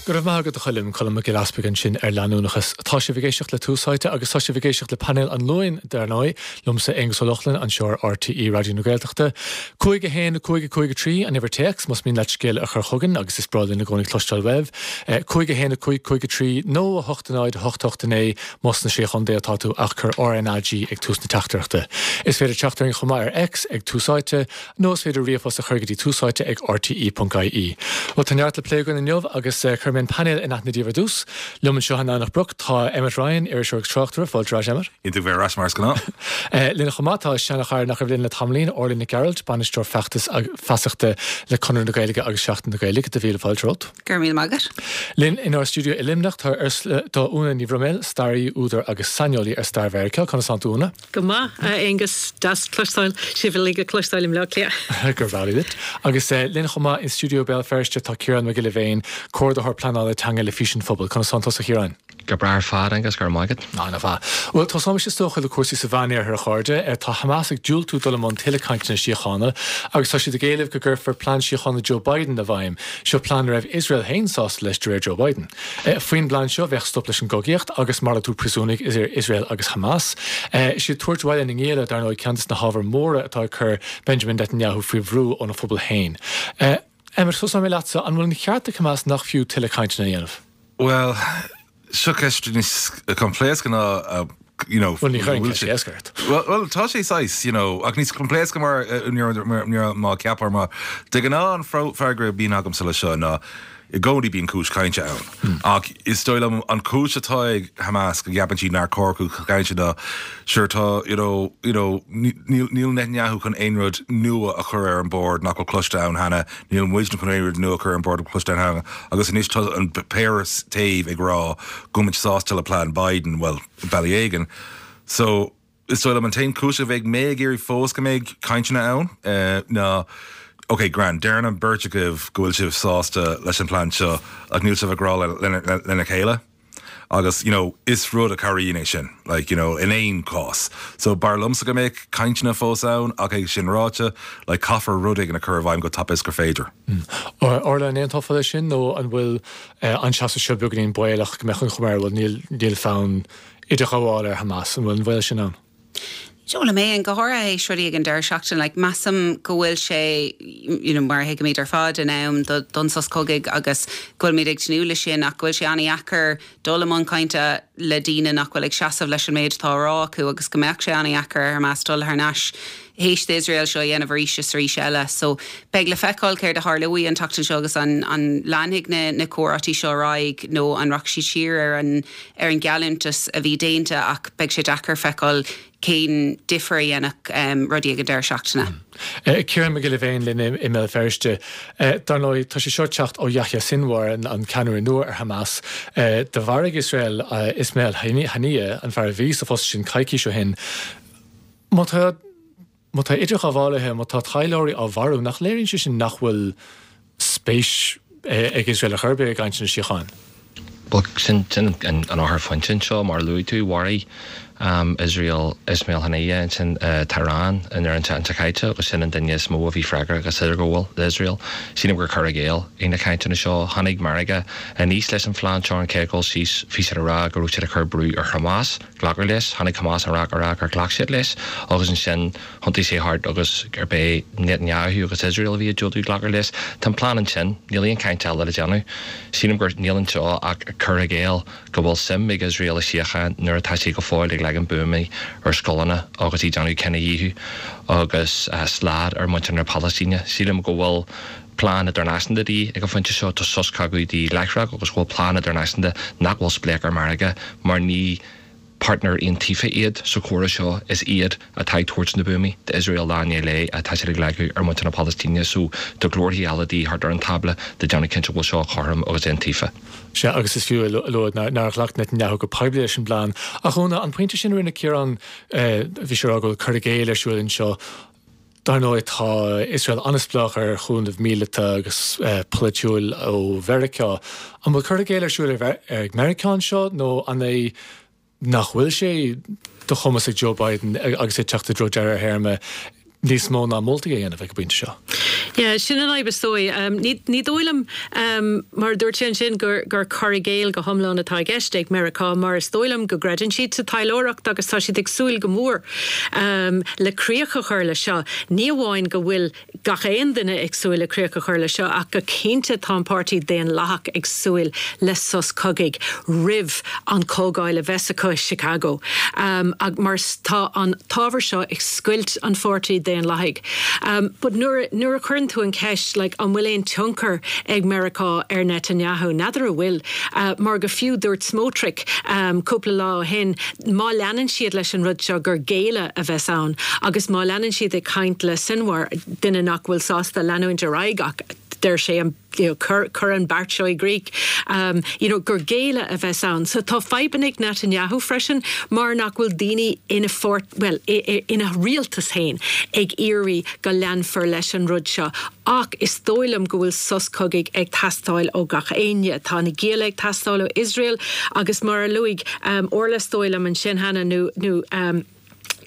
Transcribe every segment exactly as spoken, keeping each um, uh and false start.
Go raibh maith agat a Choilm Colm Mac Giolla Easbuig ansin ar leanúnachas. Tá sibh ag éisteacht le Tús Áite agus tá sibh ag éisteacht le painéal an Luain dar ndóigh, liomsa Aonghus Ó Lochlainn anseo ar RTÉ Raidió na Gaeltachta. Cúig a haon cúig a cúig a trí an uimhir téacs más mian leat scéal a chur chugainn agus is breá linn i gcónaí cloisteáil uaibh. Cúig a haon a cúig cúig a trí nó a hocht a náid a hocht hocht a naoi más sna Sé Chontae atá tú ach cuir RNAG ag tús na teachtaireachta. Is féidir teacht orainn chomh maith ar X ag Tús Áite nó is féidir ríomhphost a chur go dtí túsáite ag RTE.ie. Well tá neart le plé againn inniu agus uh, cuirfidh mé an painéal in aithne daoibh ar dtús. Liom anseo in Eanach Broc tá Emmet Ryan iriseoir agus tráchtaire fáilte ar ais Emmet. Iontach bheith ar ais mar is gnáth. Uh, Linn chomh maith tá seanchara nach raibh linn le tamaillín Orla Nic Gearailt, bainisteoir feachtas feasachta le Conradh na Gaeilge agus Seachtain na Gaeilge do mhíle fáilte romhat. Gur mí magat. Linn inár stiúideo i Luimneach tá tá Úna Ní Bhroiméil, staraí údar agus saineolaí ar stair Mheiriceá conas tánn tú Úna? Go maith Aonghus deas cloisteáil sibh uilig a cloisteáil i mBleá Cliath. gur bhreá duit. Agus uh, linn chomh maith in stiúideo Béal Feirste tá Ciarán Mac Giolla Bhéin, comhordaitheoir pleanála teanga le Fís an Phobail, conas tánn tusa a Chiaráin. Go breá ar fad agus gur maigad. Ná na fa. Well tosóimid is dócha le cúrsaí sa Mheánoirthear a chairde, tá Hamas ag diúltú dul i mbun tuilleadh cainteanna síochána, agus tá siad ag éileamh go gcuirfear plean síochána Joe Biden i bhfeidhm, seo plean a raibh Iosrael féin sásta leis de réir Joe Biden. Faoin bplean seo bheadh stop leis an gcogaíocht agus malartú príosúnaigh idir Iosrael agus Hamas. Is iad tabhairt abhaile na ngialla dar ndóigh ceann de na hábhair mhóra atá ag cur Benjamin Netanyahu faoi bhrú óna phobal féin. Emmet tosóidh mé leatsa an bhfuil an ceart ag Hamas nach fiú tuilleadh cainteanna a dhéanamh. Well, seo ceist níos coimpléasca ná uh, you know Well, ní chuireann ceist éasca Well, well tá sé sais, you know, ach níos coimpléasca mar má ceapar mar de ghnáth an freagra bíonn agamsa le seo ná i gcónaí bíonn cúis cainte ann. Ach is dóigh liom an cúis atá ag Hamas go gceapann siad nár chóir cainte ná sure tá you know, you know, níl níl Netanyahu chun aon rud nua a chur ar an bord nach bhfuil cloiste ann cheana, níl muid chun aon rud nua a chur ar an bord cloiste ann cheana, agus anois tá an péire taobh ag rá go bhfuil muid sásta le plean Biden well bealach éigin. So is dóigh liom an t-aon cúis a bheidh mé ag iarraidh fós go mbeidh cainteanna ann uh, ná Ok, grand, deireann an bheirt agaibh go bhfuil sibh sásta leis an plean seo ach níl sibh ag rá lena chéile. Agus you know, is rud a chabhraíonn é sin, like, you know, in aon chás. So b'fhearr liomsa go mbeidh cainteanna fós ann ach é sin ráite, like, caithfear rud éigin a chur i bhfeidhm go tapa is gur féidir. Mm. Orla an aontófá leis sin nó an bhfuil uh, an seasamh seo beagáinín baolach go mbeadh an chuma air bhfuil níl níl fonn idirghabháil ar Hamas an bhfuil an bhfuil sin ann. Jola mé an gothra é sruí ag an deir seachtain like, measaim go bhfuil sé you know, mar thuigimid ar fad in am do don sos cogaidh agus go bhfuilmid ag tnúth leis sin ach go bhfuil sé an-deacair dul i mbun cainte le daoine nach bhfuil ag seasamh leis an méid atá á rá acu agus go mbeadh sé an-deacair ar Hamas dul thar n-ais théis Iosrael seo dhéanamh arís is arís eile. So beidh le feiceáil céard a tharlóidh an tseachtain seo agus an, an leanfaidh na, na comhráití seo ar aghaidh nó an rachaidh siad siar ar an, ar an geallúntas a bhí déanta ach beidh sé deacair feiceáil cén difear a dhéanfadh um, rudaí ag an deireadh seachtaine. Mm. Ciarán Mac Giolla Bhéin linn i mBéal Feirste. Dar ndóigh tá sé seo teacht ó Yahya Sinwar an, an ceannaire nua ar Hamas. Do mharaigh Iosrael Ismail Haniyeh an fear a bhí sa phost sin coicís ó shin. Má tá má tá idirghabhálaithe má tá taidhleoirí á mharú nach léiríonn sé sin nach bhfuil spéis ag Iosrael a chur i gcainteanna síochána. Well sin sin an an eochairphointe seo mar luaigh tú mharaigh um, Israel Ismail Haniyeh ansin uh, Tehran in ar an caite agus sin an duine is mó a bhí freagrach as idirghabháil le Israel. Sílim gur cur i gcéill é na cainteanna seo tháinig Meiriceá aníos leis an phlean seo an chéad dul síos bhí siad ag rá go raibh siad ag cur brú ar Hamas glacadh leis, tháinig Hamas an rá rá gur ghlac siad leis agus ansin thiontaigh sé thart agus gurb é Netanyahu agus Israel a bhí ag diúltú glacadh leis. Tá plean ansin níl aon chaint eile le déanamh. Sílim gur níl anseo ach cur i gcéill go bhfuil suim ag Israel i síocháin nuair atá sé go fóill ag leagan buamaí ar scoileanna agus ag déanamh cinedhíothú agus uh, slad ar muintir na Palaistíne. Sílim go bhfuil plean idirnáisiúnta de dhíth ag an phointe seo tá sos cogaidh de dhíth láithreach agus bhfuil plean idirnáisiúnta nach bhfuil spleách ar Mheiriceá mar ní partner iontaofa iad sa chomhrá seo is iad atá ag tabhairt na buamaí d'Iosrael lá lé atá siad ag leagadh ar muintir na Palaistíne so tá glórthaí eile de dhíth thart ar an tábla de déanamh cinnte bhfuil seo cothrom agus iontaofa. Sea agus is fiú a lua nár ghlac Netanyahu go poiblí leis an bplean. Ach Úna an pointe sin rinne Ciarán bhí sé go cur i gcéill ar siúl anseo. Dar ndóigh tá Iosrael an-spleách ar chúnamh míleata agus polaitiúil ó Mheiriceá. An bhfuil cur i gcéill ar siúl ag Meiriceá anseo nó an é nach bhfuil sé de chumas ag Joe Biden agus é teacht i dtreo deireadh a théarma níos mó ná moltaí a dhéanamh ag an bpointe seo. Yeah, sin an fhadhb is dóigh. Um, ní, ní dóigh liom um, mar dúirt sé ansin gur, gur cur i gcéill go hiomlán atá i gceist ag Meiriceá mar is dóigh liom go gcreideann siad sa taidhleoireacht agus tá siad ag súil go mór um, le críoch a chur le seo. Ní amháin go bhfuil gach aon duine ag súil le críoch a chur le seo ach go cinnte tá an páirtí Daonlathach ag súil le sos cogaidh roimh an chomhdháil a bheas acu i Chicago. Um, ag mar tá an t-ábhar seo ag scoilt an pháirtí Daonlathaigh. Um, but nuair nuair a chuireann tú an ceist like, an bhfuil aon tionchar ag Meiriceá ar Netanyahu, n'fheadar an bhfuil, uh, mar go fiú dúirt Smotrich um, cúpla lá ó shin, má leanann siad leis an rud seo gur géilleadh a bheas ann, agus má leanann siad ag caint le Sinwar duine nach bhfuil sásta leanúint ar aghaidh ach deir sé an you know, cur, cur an beart seo i gcrích um, you know, gur géilleadh a bheas ann. So tá fadhbanna ag Netanyahu freisin mar nach bhfuil daoine ina pháirt well ina rialtas féin ag iarraidh go leanfar leis an rud seo. Ach is dóigh liom go bhfuil sos cogaidh ag teastáil ó gach éinne tá na gialla ag teastáil ó Israel agus mar a luaigh um, Orla is dóigh liom ansin cheana nó nó um,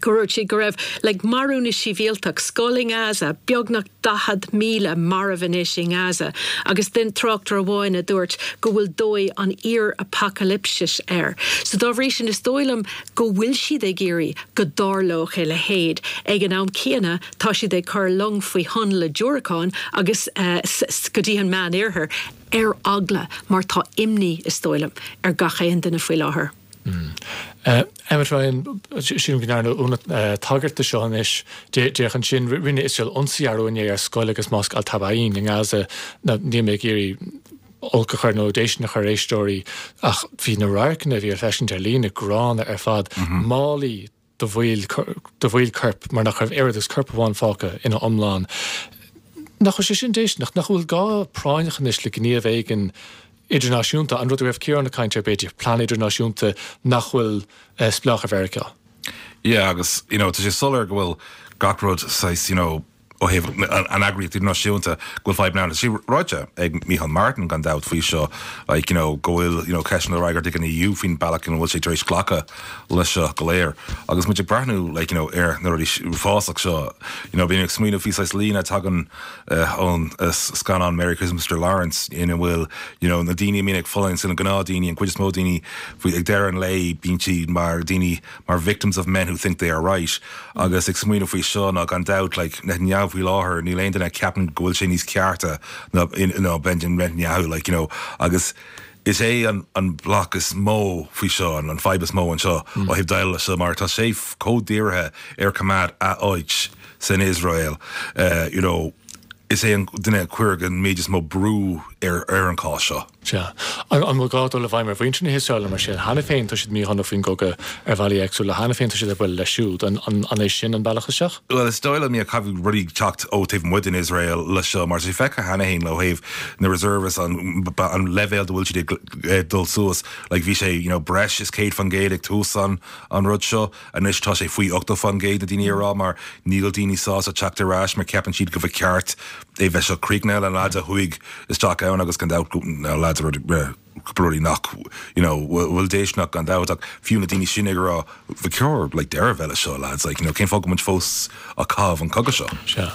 go raibh sí go raibh le marú na sibhialtach scoil i nGaza, beagnach daichead míle marbh anois i nGaza, agus den tráchtaire amháin a dúirt go bhfuil dóigh an fhíor-apacailipsis air. So dá bhrí sin is dóigh liom go bhfuil siad ag iarraidh go dtarlódh a leithéid. Ag an am céanna tá siad ag cur long faoi thonn le diúracáin agus uh, go dtí an Meánoirthear ar eagla mar tá imní is dóigh liom ar gach aon duine faoi láthair. Mm. Uh, Emmet Ryan sílim go ndearna Úna uh, tagairt do seo anois déarfainn ansin rinne Iosrael ionsaí arú inné ar scoil agus mosc Al-Taba'in i nGaza níl mé ag iarraidh olc a chur nó déistin a chur ar éisteoirí ach bhí na radharcanna a bhí ar feiscint ar líne gránna ar fad mm -hmm. málaí de bhfuil de bhfuil coirp mar nach raibh oiread agus corp amháin fágtha ina iomlán. Nach bhfuil sé sin déistineach nach bhfuil gá práinneach anois le gníomh éigin idirnáisiúnta an rud a raibh Ciarán ag caint air b'fhéidir plean idirnáisiúnta nach bhfuil uh, spleách ar Mheiriceá. Yeah, agus you know, tá sé soiléir go bhfuil gach rud saghas you know, ó thaobh an eagraíocht idirnáisiúnta go bhfuil fadhb ann sí ráite ag Micheál Martin gan dabht faoi seo like, you know, go bhfuil you know, ceisteanna le freagairt ag an EU faoin bealach ina bhfuil sé tar éis glacadh leis seo go léir. Agus muid ag breathnú like, you know, ar na rudaí uafásach seo you know, bím ag smaoineamh faoi saghas líne tagann uh, ón uh, scannán Merry Christmas Mr. Lawrence ina bhfuil you know, na daoine mín ag fulaingt sin an gnáthdhaoine an chuid is mó daoine faoi ag deireadh an lae bíonn siad mar daoine mar victims of men who think they are right agus ag smaoineamh faoi seo ná gan dabht like, Netanyahu faoi láthair níl aon duine ceapann go bhfuil sé níos cearta ná ná Benjamin Netanyahu like, you know, agus is é an, an bloc is mó faoi seo an, an fadhb is mó anseo mm. ó thaobh déileáil seo mar tá sé chomh dírithe ar coimeád a áit san Israel uh, you know, is é an duine chuir an méid is mó brú ar ar an cás seo. Sea. An bhfuil gá dul i bhfeidhm ar mhuintir na hIosraeile mar sin cheana féin tá siad míshona faoin gcogadh ar bhealaí éagsúla cheana féin tá siad ag bualadh leis siúd an an é sin an bealach isteach? Well is dóigh liom caithfidh rudaí teacht ó taobh amuigh den Israel le seo mar sé feicthe cheana féin le thaobh na reservists an, an leibhéal a bhfuil siad ag dul suas like bhí sé you know, breis is céad faoin gcéad ag tús an an rud seo anois tá sé faoi ochtó faoin gcéad na daoine ag rá mar níl daoine sásta teacht ar ais mar ceapann siad go bhfuil ceart é bheith seo críochnaithe an lads a chuaigh isteach ann agus gan dabht na lads rudaí nach you know bhfuil déisteanach gan dabht ach fiú na daoine sin ag rá ba cheart like deireadh a bheith leis seo lads like you know cén fáth go muid fós ag caitheamh an cogadh seo. Sea.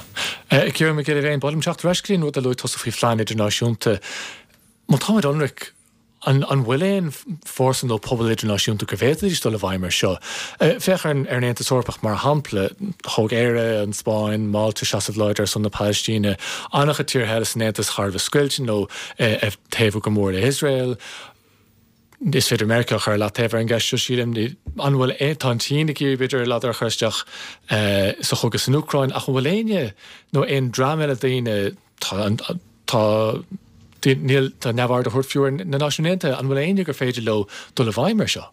Ciarán Mac Giolla Bhéin b'áil liom teacht ar ais go dtí an rud a luaigh tusa faoi phlean idirnáisiúnta. Má táimid ionraic an an bhfuil aon fórsa nó pobal idirnáisiúnta go bhféadfaidís dul i bhfeidhm ar seo. Féach ar an Aontas Eorpach mar shampla thóg Éire an Spáinn, Málta seasamh láidir ar son na Palaistíne, an-chuid tíortha eile san Aontas thar a bheith scoilte nó ag taobhú go mór le Israel. Is féidir Meiriceá a chur leataobh ar an gceist seo sílim an bhfuil tá an tSín ag iarraidh b'fhéidir ladar a chur isteach sa chogadh san Úcráin ach an bhfuil éinne nó aon dream eile daoine tá tá níl tá neamhaird á thabhairt fiú ar na Náisiúin Aontaithe an bhfuil éinne gur féidir leo dul i bhfeidhm ar seo.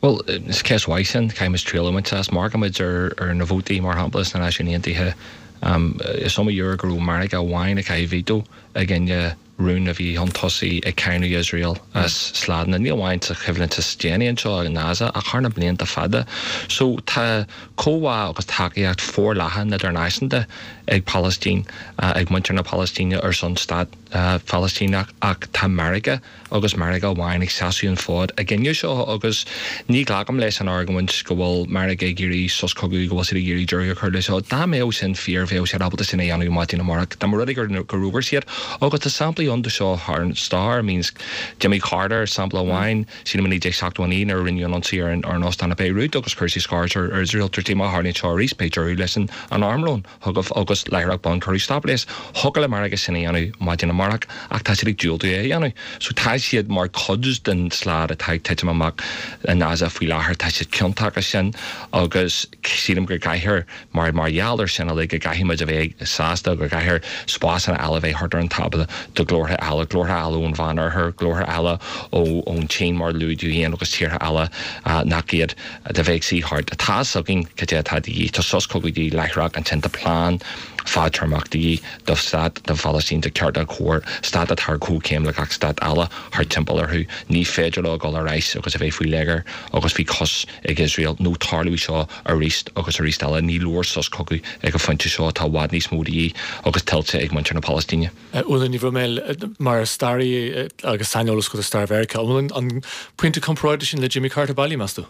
Well, is ceist mhaith sin caithfimid triail a bhaint as mar muid ar ar na vótaí mar shampla sna Náisiúin Aontaithe um, is iomaí uair go raibh Meiriceá amháin ag caitheamh veto i gcoinne rún a bhí chun tosaigh ag cáineadh Iosrael as sladanna, ní amháin sa choimhlint is déanaí anseo i nGaza ach thar na blianta fada. So tá comhbhá agus tacaíocht forleathan idirnáisiúnta ag Palaistín, ag muintir na Palaistíne ar son stát Phalaistíneach ach tá Meiriceá agus Meiriceá amháin ag seasamh an fód i gcoinne seo agus ní ghlacaim leis an argóint go bhfuil Meiriceá ag iarraidh sos cogaidh, go bhfuil siad ag iarraidh deireadh a chur leis seo. Dá mbeadh sin fíor bheadh siad ábalta sin a dhéanamh maidin amárach. Dá mba rud é gur fhógair siad agus tá samplaí ann de seo thar an stair, means Jimmy Carter sampla amháin, sílim i naoi déag seachtó a naoi nuair a rinneadh an ionsaí ar an óstán i Beirut agus chuir sé scairt ar Iosrael dúirt sé má tharlaíonn seo arís beidh deireadh leis an armlón chugaibh agus láithreach bonn cuireadh stop leis. Thiocfadh le Meiriceá sin a dhéanamh maidin amárach ach tá siad ag diúltú é a dhéanamh. So tá siad mar chuid den slad atá ag titim amach i nGaza faoi láthair, tá siad ciontach as sin agus sílim go gcaithfear mar mar gheall ar sin uilig go gcaithfidh muid a bheith sásta go gcaithfear spásanna eile a bheith thart ar an tábla do ghlórtha eile, glórtha eile ón Mheánoirthear, glórtha eile ó ón tSín mar a luaigh tú féin agus tíortha eile nach iad de bheith ag suí thart. Tá fhios againn cad é atá de dhíth. Tá sos cogaidh de dhíth láithreach ansin tá plean fadtéarmach de dhíth do stát don Phalaistín de ceart agus cóir, stát atá ar comhchéim le gach stát eile thart timpeall orthu. Ní féidir leo dul ar ais agus a bheith faoi léigear agus faoi chois ag Iosrael nó tarlóidh seo arís agus arís eile. Ní leor sos cogaidh ag an phointe seo, tá i bhfad níos mó de dhíth agus tuillte ag muintir na Palaistíne. Úna Ní Bhroiméil, mar staraí agus saineolas agat ar stair Mheiriceá, an bhfuil an pointe comparáide sin le Jimmy Carter bailí, meas tú?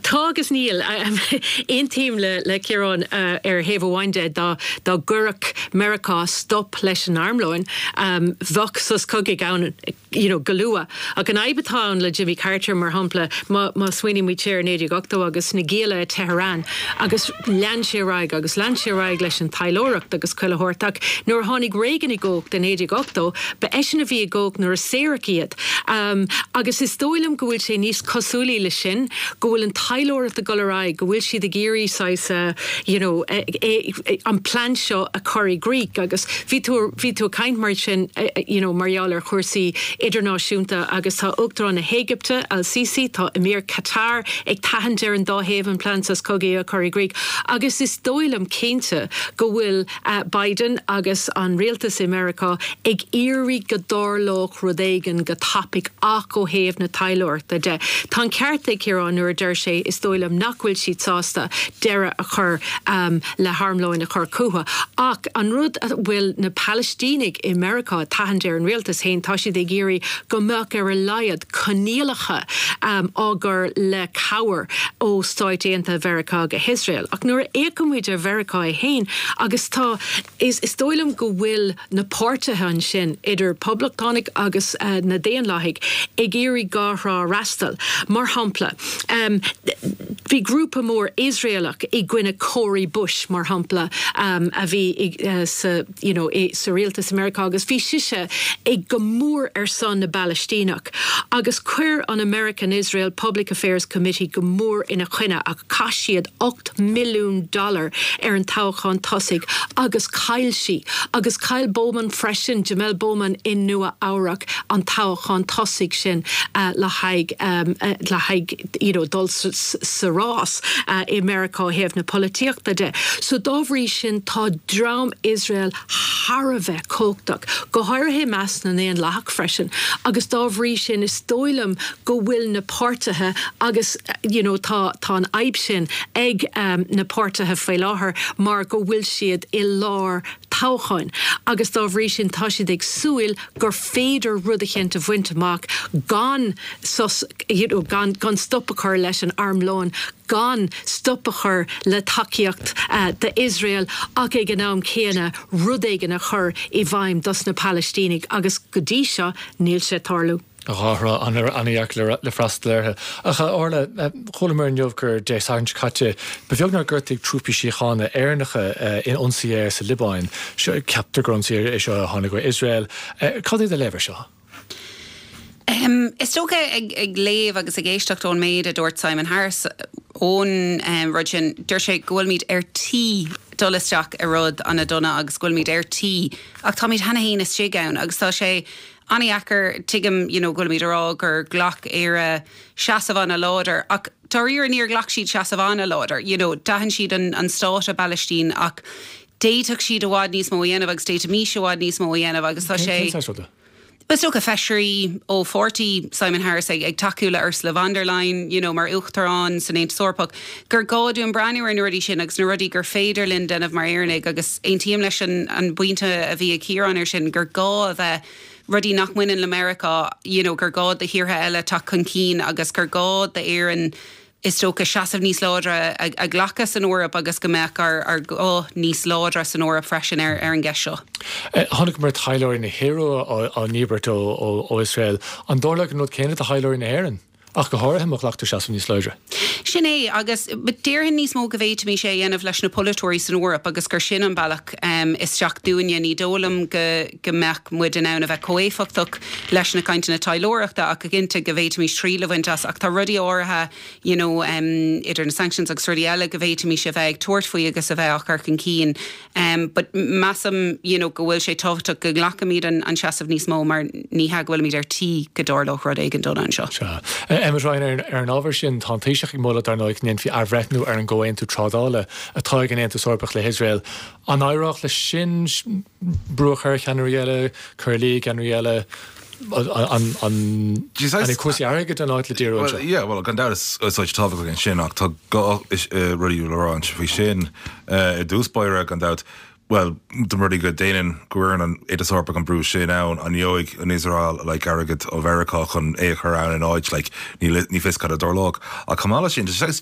Tá agus níl. Aontaím le le Ciarán ar thaobh amháin de dá dá gcuirfeadh Meiriceá stop leis an armlóin bheadh sos cogaidh ann you know, go luath. Ach an fhadhb atá ann le Jimmy Carter mar shampla má má smaoinímid siar naoi déag ochtó agus na gialla i Tehran agus lean sé ar aghaidh agus lean sé ar aghaidh leis an taidhleoireacht agus chuile shórt ach nuair a tháinig Reagan i gcumhacht i naoi déag ochtó ba eisean a bhí i gcumhacht nuair a saoradh iad. Um, agus is dóigh liom go bhfuil sé níos cosúlaí le sin go bhfuil an taidhleoireacht ag dul ar aghaidh go bhfuil siad ag iarraidh saghas uh, you know, e, e, e, an plean seo a chur i gcrích agus bhí tú bhí tú ag caint mar sin you know, mar gheall ar chúrsaí idirnáisiúnta agus tá Uachtarán na hÉigipte Al-Sisi tá Emir Qatar ag tathant ar an dá thaobh an plean sos cogaidh a chur i gcrích agus is dóigh liom cinnte go bhfuil uh, Biden agus an rialtas i Meiriceá ag iarraidh go dtarlódh rud éigin go tapaidh ach ó thaobh na taidhleoireachta de. Tá an ceart ag Ciarán nuair a deir sé is dóigh liom nach bhfuil siad sásta deireadh a chur um, le harmlóin a chur chucu. Ach an rud a bhfuil na Palaistínigh i Meiriceá tathant ar an rialtas féin tá siad ag iarraidh go mbeadh ar a laghad coinníollacha um, á gcur le cabhair ó Stáit Aontaithe Mheiriceá go hIosrael. Ach nuair a fhéachaimid ar Mheiriceá é féin agus tá is, is dóigh liom go bhfuil na páirtithe ansin idir poblachtánaigh agus uh, na Daonlathaigh ag iarraidh dhá thrá a fhreastal. Mar shampla, um, bhí grúpa mór Iosraelach i gcoinne Cori Bush mar shampla um, a bhí uh, sa, you know, i, sa rialtas Meiriceá agus bhí sise ag go mór ar son na bPalaistíneach. Agus chuir an American Israel Public Affairs Committee go mór ina coinne ach chaith siad ocht milliún dollar ar an toghchán tosaigh agus chaill sí agus chaill Bowman freisin Jamel Bowman in Nua Eabhrac an toghchán tosaigh sin uh, le haghaidh um, uh, le haghaidh you know, dul sa, sa rás uh, i Meiriceá thaobh na polaitíochta de. So dá bhrí sin tá dream Iosrael thar a bheith cumhachtach, go háirithe i measc na nDaonlathach freisin, agus dá bhrí sin is dóigh liom go bhfuil na páirtithe agus you know, tá tá an fhadhb sin ag um, na páirtithe faoi láthair mar go bhfuil siad i lár toghcháin. Agus dá bhrí sin tá siad ag súil gur féidir rud éicint a bhaint amach gan sos, you know, gan, gan stop a chur leis an armlón, gan stop a chur le tacaíocht uh, d'Iosrael ach ag an am céanna rud éigin a chur i bhfeidhm dos na Palaistínigh agus go dtí seo níl sé ag tarlú. Dhá thrá an-deacair le freastal orthu. Ach Orla, chualamar inniu gur Dé Sathairn seo caite, ba bheag nár gortaíodh trúpaí síochána Éireannacha in ionsaí aeir sa Liobáin. Ceaptar gur ionsaí é seo a tháinig ó Iosrael. Cad é do léamh air seo? Um, is dócha ag, ag léamh agus ag éisteacht ón méid a dúirt Simon Harris ón um, rud sin dúirt sé go bhfuilmid ar tí dul isteach i rud an-dona agus go bhfuilmid ar tí ach táimid cheana féin istigh ann agus tá sé an-deacair tuigim you know, go bhfuilimid a rá gur ghlac Éire seasamh an-láidir ach dáiríre níor ghlac siad seasamh an-láidir you know, d'aithin siad an, an stát i bPalaistín ach D'fhéadfadh siad i bhfad níos mó a dhéanamh agus d'fhéadfaimis i bhfad níos mó a dhéanamh agus tá sé. Cén saghas ruda? Is dócha feisirí ó pháirtí Simon Harris ag ag tacú le Ursula von der Leyen, you know, mar uachtarán san Aontas Eorpach, gur gá dúinn breathnú ar na rudaí sin agus na rudaí gur féidir linn déanamh mar Éireannaigh agus aontaím leis an an bpointe a bhí ag Ciarán ar sin gur gá a bheith rudaí nach mbaineann le Meiriceá, you know, gur gá do thíortha eile teacht chun cinn agus gur gá d'Éirinn is dócha seasamh níos láidre a ghlacadh san Eoraip agus go mbeadh ár ár guth níos láidre san Eoraip freisin ar ar an gceist seo. Chonaiceamar taidhleoirí na hIorua á ndíbirt ó ó Iosrael. An dtarlódh an rud céanna do thaidhleoirí na hÉireann? Ach go háirithe má ghlactar seasamh níos láidre. Sin é, agus déarfainn níos mó go bhféadfaimis é a dhéanamh leis na polaiteoirí san Eoraip agus gur sin an bealach isteach dúinne. Ní dóigh liom go go mbeadh muid in ann a bheith chomh éifeachtach leis na cainteanna taidhleoireachta ach go cinnte go bhféadfaimis triail a bhaint as ach tá rudaí áirithe you know idir na sanctions agus rudaí eile go bhféadfaimis a bheith ag tabhairt faoi agus a bheith á chur chun cinn. But measaim you know go bhfuil sé tábhachtach go nglacfaimid an an seasamh níos mó mar ní hea go bhfuilimid ar tí go dtarlódh rud éigin dona anseo. Sea. Emmet Ryan, ar an ábhar sin, tá an Taoiseach ag moladh dar ndóigh go ndéanfaí athbhreithniú ar an gcomhaontú trádála atá ag an Aontas Eorpach le hIosrael. An éireodh leis sin brú a chur ar cheannairí eile, cur i luí ceannairí eile, an an cúrsaí airgid an áit le díriú anseo? Well, yeah, well, gan dabht is áit tábhachtach é sin ach tá dhá rudaí le rá faoi sin i dtús báire gan dabht. Bhuel, dá mba rud é go ndéanann, go gcuireann an Aontas Eorpach an brú sin ann, an ngeobhaidh an Iosrael like airgead ó Mheiriceá chun é a chur ann in áit, like, ní, ní fios cad a dtarlódh. Ach chomh maith leis sin, tá sé saghas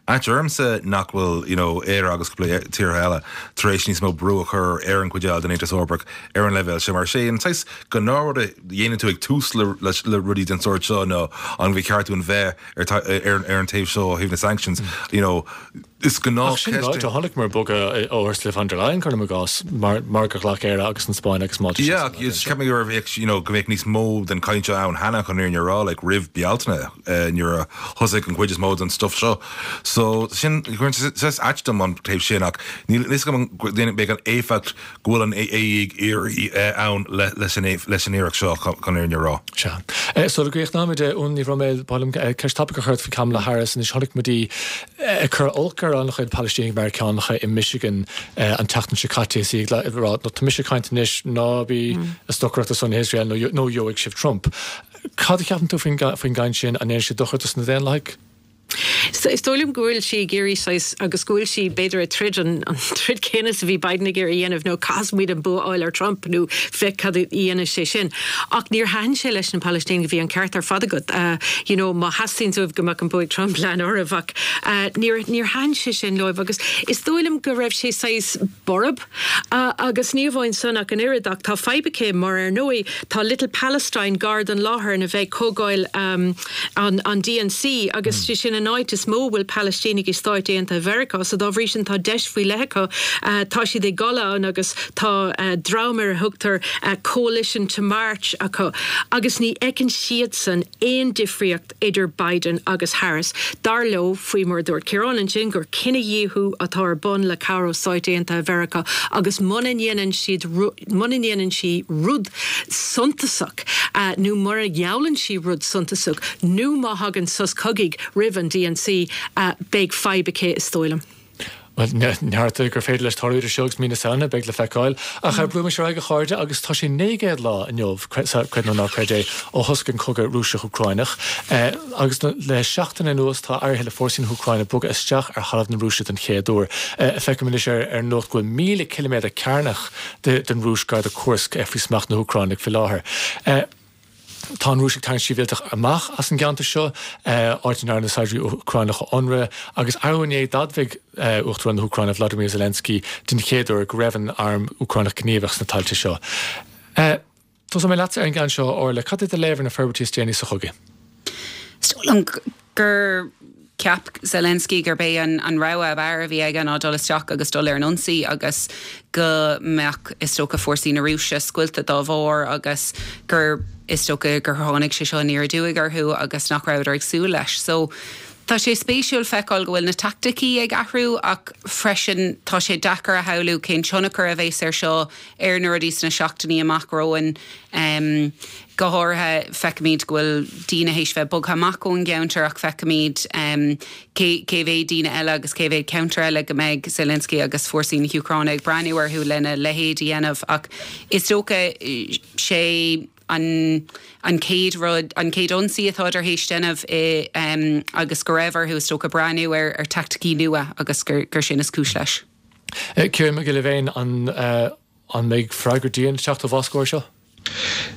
ait ormsa nach bhfuil, you know, Éire agus cúpla tíortha eile tar éis níos mó brú a chur ar an gcuid eile den Aontas Eorpach ar an leibhéal sin, mar sé an saghas gnáthrud a dhéanann tú ag tús le, le, le rudaí den sórt seo nó an bhí ceart dúinn bheith ar, ar, ar an taobh seo ó thaobh na sanctions, you know, Is gnáthcheist é. Ach sin ráite, chonaiceamar bogadh ó Ursula von der Leyen, cuirim i gcás, mar mar gur ghlac Éire agus an Spáinn agus Málta Yeah, seasamh is ceapaim go raibh, you know, go mbeadh níos mó den chaint seo ann cheana chun an fhírinne a rá, like, roimh Bealtaine, nuair a thosaigh an chuid is mó den stuff seo. So, sin, cuireann sé saghas ait dom an taobh sin ach níl a fhios agam an mbeidh an éifeacht go bhfuil an A E ag iarraidh ann leis an leis an iarracht seo chun an fhírinne a rá. Sea. Sula gcríochnóimid, Úna Ní Bhroiméil, ba mhaith liom ceist tapaidh a chur ort faoi Kamala Harris. Anois chonaic muid í ag cur olc ar an-chuid Palaistínigh Meiriceánacha i Michigan an tseachtain seo caite is í ag rá, nó tá mise ag caint anois, ná bí ag stocaireacht ar son Iosrael nó nó gheobhaidh sibh Trump. Cad a cheapann tú faoin faoin gcaint sin? An ndéanann sé dochar dos na Daonlathaigh? Is dóigh liom go bhfuil sí ag iarraidh saghas agus go bhfuil sí b'fhéidir ag troid an an troid céanna is a bhí Biden ag iarraidh a dhéanamh nó caithfidh muid an bua a fháil ar Trump nó féach cad a dhéanfaidh sé sin. Ach níor thaitin sé leis na Palaistínigh bhí an ceart ar fad agat. You know má theastaíonn uaibh go mbeadh an bua ag Trump lean oraibh ach níor níor thaitin sé sin leo agus is dóigh liom go raibh sé saghas borb agus ní amháin san ach an oiread ach tá fadhb aici mar ar ndóigh tá Little Palestine gar don láthair ina bheidh comhdháil an an D N C agus sé sin an áit is mó a bhfuil Palaistínigh i Stáit Aontaithe Mheiriceá so dá bhrí sin tá deis faoi leith acu. Tá siad ag dul ann agus tá dream ar a thugtar Coalition to March acu agus ní fheiceann siadsan aon difríocht idir Biden agus Harris. Dar leo, faoi mar a dúirt Ciarán ansin, gur cinedhíothú atá ar bun le cabhair ó Stáit Aontaithe Mheiriceá agus muna ndéanann siad muna ndéanann sí rud suntasach nó mura ngeallann sí rud suntasach nó má thagann sos cogaidh roimh an D N C, beidh fadhb aici is dóigh liom. Bhuel, neart gur féidir leis tarlú idir seo agus mí na Samhna, beidh le feiceáil. Ach brúimis ar aghaidh, a chairde, agus tá sé naoi gcéad lá inniu, creid nó ná creid é, ó thosaigh an cogadh Rúiseach-Úcráineach. Agus le seachtain anuas tá éirithe le fórsaí na hÚcráine bogadh isteach ar thalamh na Rúise den chéad uair. Feicim anois ar an nuacht go bhfuil míle ciliméadar cearnach den Rúis gar do Kursk faoi smacht na hÚcráine faoi láthair. Tá an Rúis ag tarraingt sibhialtach amach as an gceantar seo, áit a ndearna saighdiúirí Úcránacha ionradh, agus arú inné d'admhaigh Uachtarán na hÚcráine Vladimir Zelensky den chéad uair go raibh an arm Úcránach gníomhach sna tailte seo. Tosóidh mé leatsa ar an gceann seo, a Orla. Cad é do léamh ar na forbairtí is déanaí sa chogadh? Is dóigh liom gur cheap Zelensky gurb é an an rogha ab fhearr a bhí aige ná dul isteach agus dul ar an ionsaí agus go mbeadh is dócha fórsaí na Rúise scoilte dá bharr agus gur is dócha gur tháinig sé seo aniar aduaidh orthu agus nach rabhadar ag súil leis. So tá sé spéisiúil feiceáil go bhfuil na taicticí ag athrú ach freisin tá sé deacair a shamhlú cén tionchar a bheas air seo ar na rudaí sna seachtainí amach romhainn. Um, go háirithe feicimid go bhfuil daoine théis bheith bogtha amach ón gceantar ach feicimid um, cé cé mhéad daoine eile agus cé mhéad ceantar eile go mbeidh Zelensky agus fórsaí na hÚcráine ag breathnú orthu lena leithéid a dhéanamh ach is dócha sé an an chéad rud an chéad ionsaí atá tar éis déanamh i um, agus go raibh orthu is dócha breathnú ar ar taicticí nua agus gur, gur sin is cúis leis. Ciarán Mac Giolla Bhéin an uh, an mbeidh freagra dian ag teacht ó Mhoscó seo?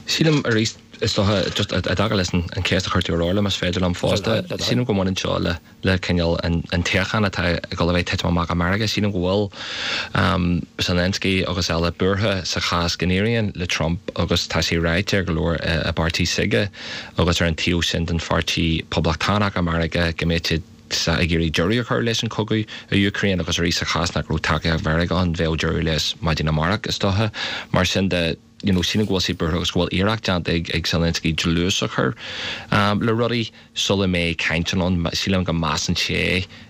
Sílim arís is dócha just i dtaca leis an cheist a chuir tú ar Orla más féidir liom fosta. Sílim go mbaineann seo le le cineál an tsíocháin atá ag dul a bheith titim amach i Meiriceá sílim go bhfuil um, Zelensky agus eile buartha sa chás go n-éiríonn le Trump agus tá sé ráite ag go leor i bpáirtí s'aige agus ar an taobh sin den pháirtí poblachtánach i Meiriceá go mbeidh siad ag iarraidh deireadh a chur leis an cogadh i Úcráin agus arís sa chás nach raibh tacaíocht Mheiriceá ann bheadh deireadh leis maidin amárach is dócha mar sin de you know, sílim go bhfuil sé buartha agus go bhfuil iarracht déanta ag ag Zelensky dlús a chur um, le rudaí sula mbeidh cainteanna ann sílim go measann sé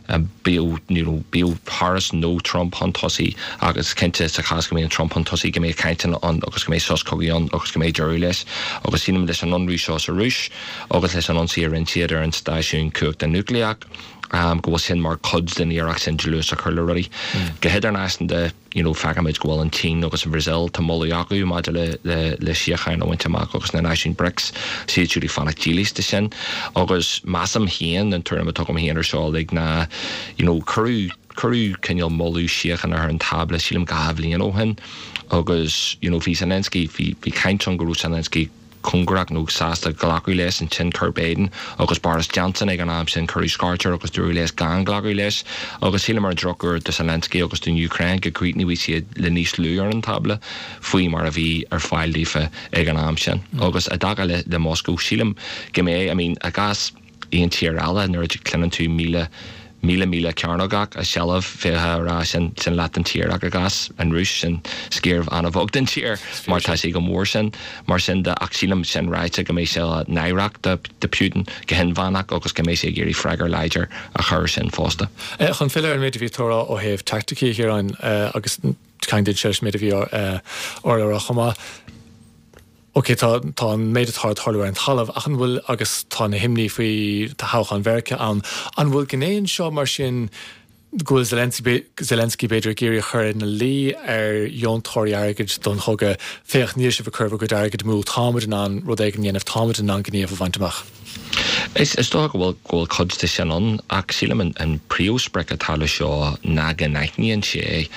um, bíodh you know, bíodh Harris nó Trump chun tosaigh agus cinnte sa chás go mbíonn Trump chun tosaigh go mbeidh cainteanna ann agus go mbeidh sos cogaidh ann agus go mbeidh deireadh leis agus sílim leis an ionradh seo sa Rúis agus leis an ionsaí a rinne siad ar an stáisiún cumhachta núicléach um, go bhfuil sin mar chuid den iarracht sin dlús a chur le rudaí. Mm. Go hidirnáisiúnta you know, feicimid go bhfuil an tSín agus an Bhrasaíl tá moladh acu maidir le, le, le síocháin a bhaint amach agus na náisiúin BRICS siad siúd ag fanacht dílis de sin agus measaim féin an tuairim atá agam féin ar seo ag ná you know, cuireadh cuireadh cineál moladh síochána ar an tábla sílim dhá bhliain ó shin agus you know, bhí Zelensky bhí bhí caint ann go raibh Zelensky cóngarach nó sásta glacadh leis ansin chuir Biden agus Boris Johnson ag an am sin cuireadh scairt air agus dúradh leis gan glacadh leis agus sílim ar an drochuair do Zelensky agus don Úcráin go gcríochnaigh siad le níos lú ar an tábla faoi mar a bhí ar fáil daofa ag an am sin. Mm. Agus i dtaca le le Moscow sílim go mbeidh I mean, i gcás aon tír eile nuair a chluineann tú míle míle míle cearnógach i seilbh bheifeá ag rá sin sin leath den tír ach i gcás an Rúis sin sciar an-bheag den tír mar tá sé chomh mór sin mar sin de ach sílim sin ráite go mbeidh sé náireach do do Putin go hinmheánach agus go mbeidh sé ag iarraidh freagra láidir a chur sin fosta. Eh, chun filleadh ar an méid a bhí tú a rá ó thaobh taicticí a Chiaráin eh, agus ceanglaíonn sé leis an méid a bhí Orla a rá chomh maith. Ok tá tá an méid atá ag tarlú ar an talamh ach an bhfuil agus tá na himní faoi toghchán Mheiriceá ann an bhfuil gné anseo mar sin go bhfuil Zelensky Zelensky b'fhéidir ag iarraidh a chur ina luí ar dheontóirí airgid don chogadh féach níl sibh ag cur bhur gcuid airgid amú táimid in ann rud éigin a dhéanamh táimid in ann gníomh a bhaint amach. Is is dócha go bhfuil go bhfuil cuid de sin ann ach sílim an an príomhsprioc atá le seo ná go n-aithníonn sé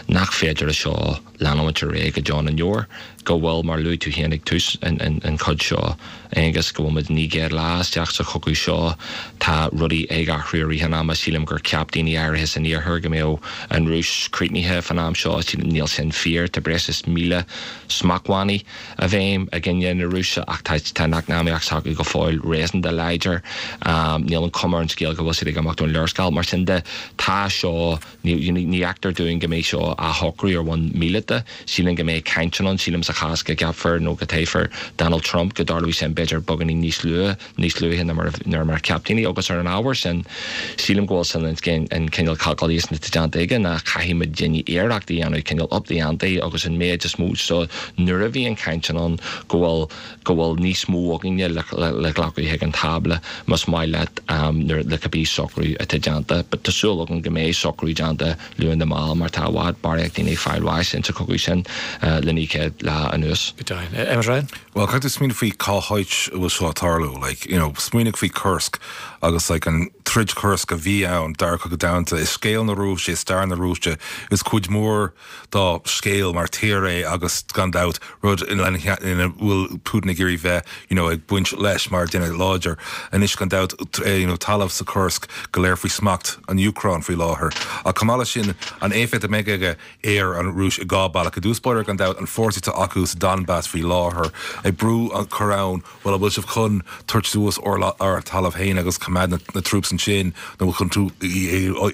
nach féidir le seo leanúint ar aghaidh go deo na ndeor, go bhfuil, mar luaigh tú féin ag tús an an an chuid seo, Aonghus, go bhfuil muid naoi gcéad lá isteach sa chogadh seo, tá rudaí ag athrú i rith an ama, sílim gur cheap daoine áirithe san iarthar go mbeadh an Rúis críochnaithe fan am seo, sílim níl sin fíor, tá breis is míle smachtbhannaí i bhfeidhm i gcoinne na Rúise ach tá tá an eacnamaíocht s'acu go fóill réasúnta láidir, níl an chuma ar an scéal go bhfuil siad ag imeacht ón léarscáil, mar sin de tá seo Ní fheictear dúinn go mbeidh seo á shocrú ar bhonn míleata. Sílim go mbeidh cainteanna ann. Sílim sa chás go gceapfar nó go dtoghfar Donald Trump go dtarlóidh sin b'fhéidir beagáinín níos luaithe, níos luaithe ná mar ná mar a cheap daoine. Agus ar an ábhar sin, sílim go bhfuil sin an cineál calculation atá déanta aige ná caithfidh muidinne iarracht a dhéanamh cineál up the ante agus an méid is mó so nuair a bhíonn cainteanna ann go bhfuil go bhfuil níos mó againne le glacadh chuig an tábla más maith leat nuair le cibé socrú atá déanta. But tá súil agam go mbeidh socrú déanta luath nó mall mar tá i bhfad barraíocht daoine ag fáil bháis insa chogadh sin le naoi gcéad lá anuas. Go deimhin. Emmet Ryan? Well, caithfidh tú smaoineamh faoi cá háit a bhfuil seo ag tarlú. Like, you know, smaoinigh faoi Kursk agus like an troid Kursk a bhí ann, Dara Cogadh Domhanda, is scéal na Rúise, is stair na Rúise, is cuid mhór dá scéal mar tír é agus gan dabht rud ina bhfuil Putin ag iarraidh bheith you know, ag baint leis mar duine láidir. Anois gan dabht you know, talamh sa Kursk go léir faoi smacht an Úcráin faoi láthair. Ach chomh maith leis sin an éifeacht a mbeidh aige ar an Rúis i dhá bealach. I dtús báire gan dabht an fórsaí atá acu sa Donbass faoi láthair ag brú a chur ann, bhuel an bhfuil sibh chun tabhairt suas ár talamh féin agus coimeád na troops ansin nó bhfuil chun tú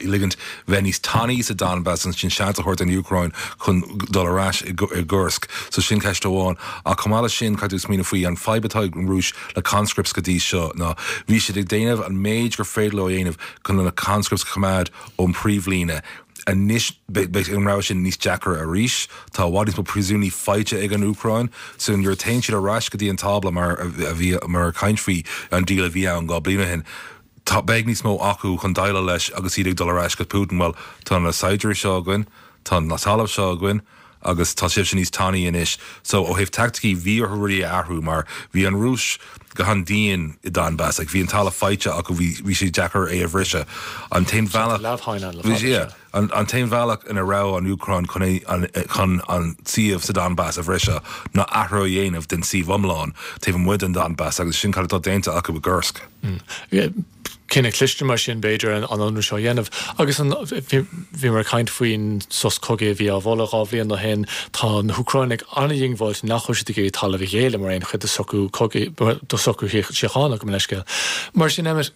ligint bheith níos tanaí sa Donbass ansin seans a thabhairt don Úcráin chun dul ar ais i gCursk. So sin ceist amháin. Ach chomh maith leis sin caithfidh tú smaoineamh faoi an fadhb atá ag an Rúis le conscripts go dtí seo ná Bhí siad ag déanamh an méid gur féidir leo a dhéanamh chun na conscripts a choimeád ón príomhlíne. Anois beidh an rogha sin níos deacra arís. Tá i bhfad níos mó príosúnaigh faighte ag an Úcráin, so nuair a théann siad ar ais go dtí an tábla mar a bhí mar caint faoi an deal a bhí ann dhá bliain ó shin, tá beidh níos mó acu chun déileáil leis agus iad ag dul ar ais go Putin, well tá na saighdiúirí seo againn, tá na talamh seo againn, agus tá sibhse níos tanaí anois. So ó thaobh taicticí bhí orthu rudaí a athrú mar bhí an Rúis go han-dian i Donbass, like bhí an talamh faighte acu bhí bhí sé deacair é a bhriseadh. An t-aon bhealach bhí yeah, an, an t-aon bhealach ina raibh an Úcráin chun é, an, chun an suíomh sa Donbass a bhriseadh ná athrú a dhéanamh den suíomh iomlán taobh amuigh den Donbass agus sin cad atá déanta acu i gCursk. Mm. Cinneadh cliste mar sin b'fhéidir an ionradh seo a dhéanamh. Agus an bhí mar caint faoin sos cogaidh a bhí á mholadh dhá bhliain ó shin, tá na hÚcránaigh an-dhiongbháilte nach bhfuil siad ag iarraidh talamh a ghéilleadh mar aon chuid de socrú cogaidh de socrú síochána gabh mo leithscéal. Mar sin Emmet,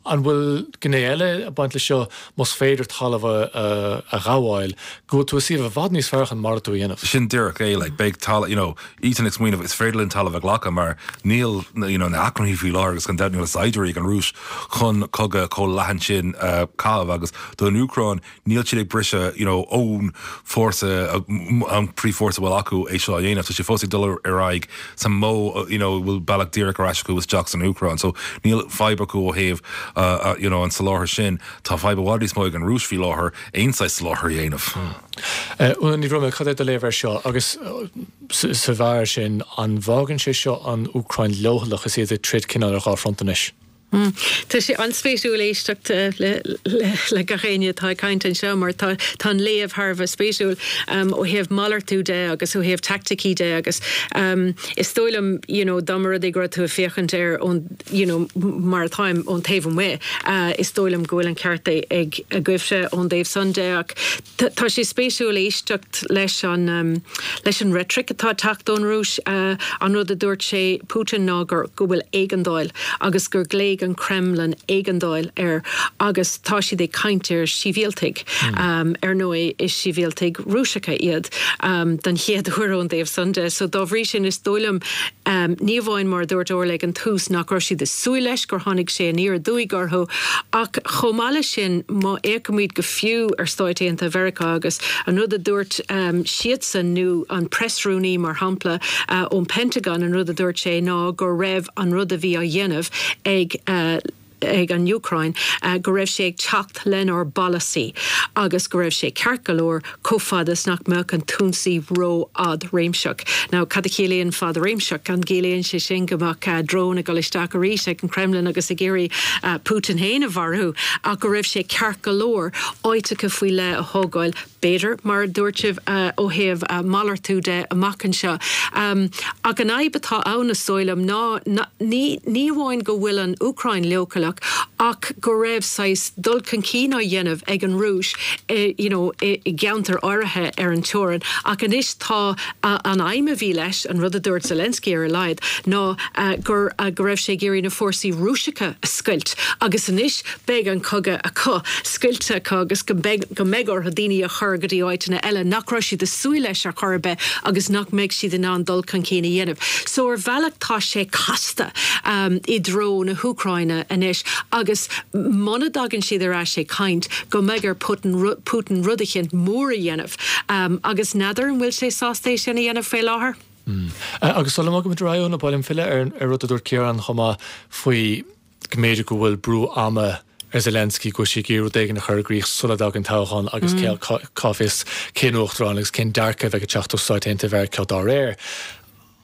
an bhfuil gné eile ag baint leis seo más féidir talamh a, a ghabháil, go bhfuil tú i suíomh i bhfad níos fearr chun malartú a dhéanamh. Sin díreach é like beidh talamh you know iad ag smaoineamh is féidir linn talamh a ghlacadh mar níl you know na hacmhainní faoi láthair agus gan dabht níl na saighdiúirí ag an Rúis chun cogadh chomh leathan sin uh, caitheamh agus don Úcráin níl siad ag briseadh you know ón fórsa an príomhfhórsa a bhfuil acu é seo a dhéanamh tá sé fós ag dul ar aghaidh sa modh you know bhfuil bealach díreach ar ais acu isteach san Úcráin so níl fadhb acu ó thaobh uh, uh, you know an soláthar sin tá fadhb i bhfad níos mó ag an Rúis faoi láthair aon saghas soláthar a dhéanamh. Úna Ní Bhroiméil cad é do léamh air seo agus sa bharr sin an bhfágann sé seo an Úcráin leochaileach is iad ag troid cineál ar dhá fronta anois. Mm. Tá sé an-spéisiúil éisteacht le, le, le gach éinne atá ag caint anseo mar tá tá an léamh thar a bheith spéisiúil um, ó thaobh malartú de agus ó thaobh taicticí de agus um, is dóigh liom you know, dá mba rud é go raibh tú ag féachaint air ón you know, mar atáim ón taobh amuigh uh, is dóigh liom go bhfuil an ceart ag agaibhse ón dtaobh san de ach tá sé spéisiúil éisteacht leis an um, leis an rhetoric atá ag teacht ón Rúis uh, an rud a dúirt sé Putin ná gur go bhfuil éigeandáil agus gur glaoigh an Kremlin éigeandáil air agus tá siad ag caint ar sibhialtaigh mm. um, ar ndóigh is sibhialtaigh Rúiseacha iad um, den chéad uair ón dtaobh san de, so dá bhrí sin is dóigh liom um, ní amháin mar dúirt Orla ag an tús nach raibh siad ag súil leis gur tháinig sé aniar aduaidh orthu ach chomh maith leis sin má fhéachaimid go fiú ar Stáit Aontaithe Mheiriceá agus an rud a dúirt um, siadsan nó an preasrúnaí mar shampla uh, ón Pentagon an rud a dúirt sé ná go raibh an rud a bhí á dhéanamh ag uh, ag an Úcráin uh, go raibh sé ag teacht lenár bpolasaí agus go raibh sé ceart go leor chomh fada is nach mbeadh an t-ionsaí ró-fhadréimseach. Now cad a chiallaíonn fadréimseach an gciallaíonn sé sin go mbeadh uh, drón ag dul isteach arís ag an Kremlin agus ag iarraidh uh, Putin féin a mharú ach go raibh sé ceart go leor áiteacha faoi leith a thógáil b'fhéidir mar dúirt sibh uh, ó thaobh uh, malartú de amach anseo. Um, ach an fhadhb atá ann is dóigh liom ná, ná ní, ní amháin go bhfuil an Úcráin leochaileach ach go raibh saghas dul chun cinn á dhéanamh ag an Rúis eh, you know, i, i gceantar áirithe ar an teorainn ach anois tá uh, an aidhm a bhí leis an rud a dúirt Zelensky ar a laghad ná uh, gur uh, go raibh sé ag iarraidh na fórsaí Rúiseacha a scoilt agus anois beidh an cogadh acu scoilte acu agus go mbeidh go mbeidh orthu daoine a chur go dtí áiteanna eile nach raibh siad ag súil leis ar chor ar bith agus nach mbeidh siad in ann dul chun cinn a dhéanamh. So ar bhealach tá sé casta um, i dtreo na hÚcráine anois agus muna dtagann siad ar ais ag caint go mbeidh ar Putin, Putin rud éicint mór a dhéanamh um, agus n'fheadar an bhfuil sé sásta é sin a dhéanamh faoi láthair. Mm. Uh, agus sula mbogaimid ar aghaidh ba mhaith liom filleadh ar ar rud a dúirt Ciarán chomh maith faoi go mb'fhéidir go bhfuil brú ama ar Zelensky go sé rud éigin a chur i gcrích sula dtagann toghchán agus mm. cá bhfios cén uachtarán agus cén dearcadh a bheidh ag teacht ó Stáit Aontaithe Mheiriceá dá réir.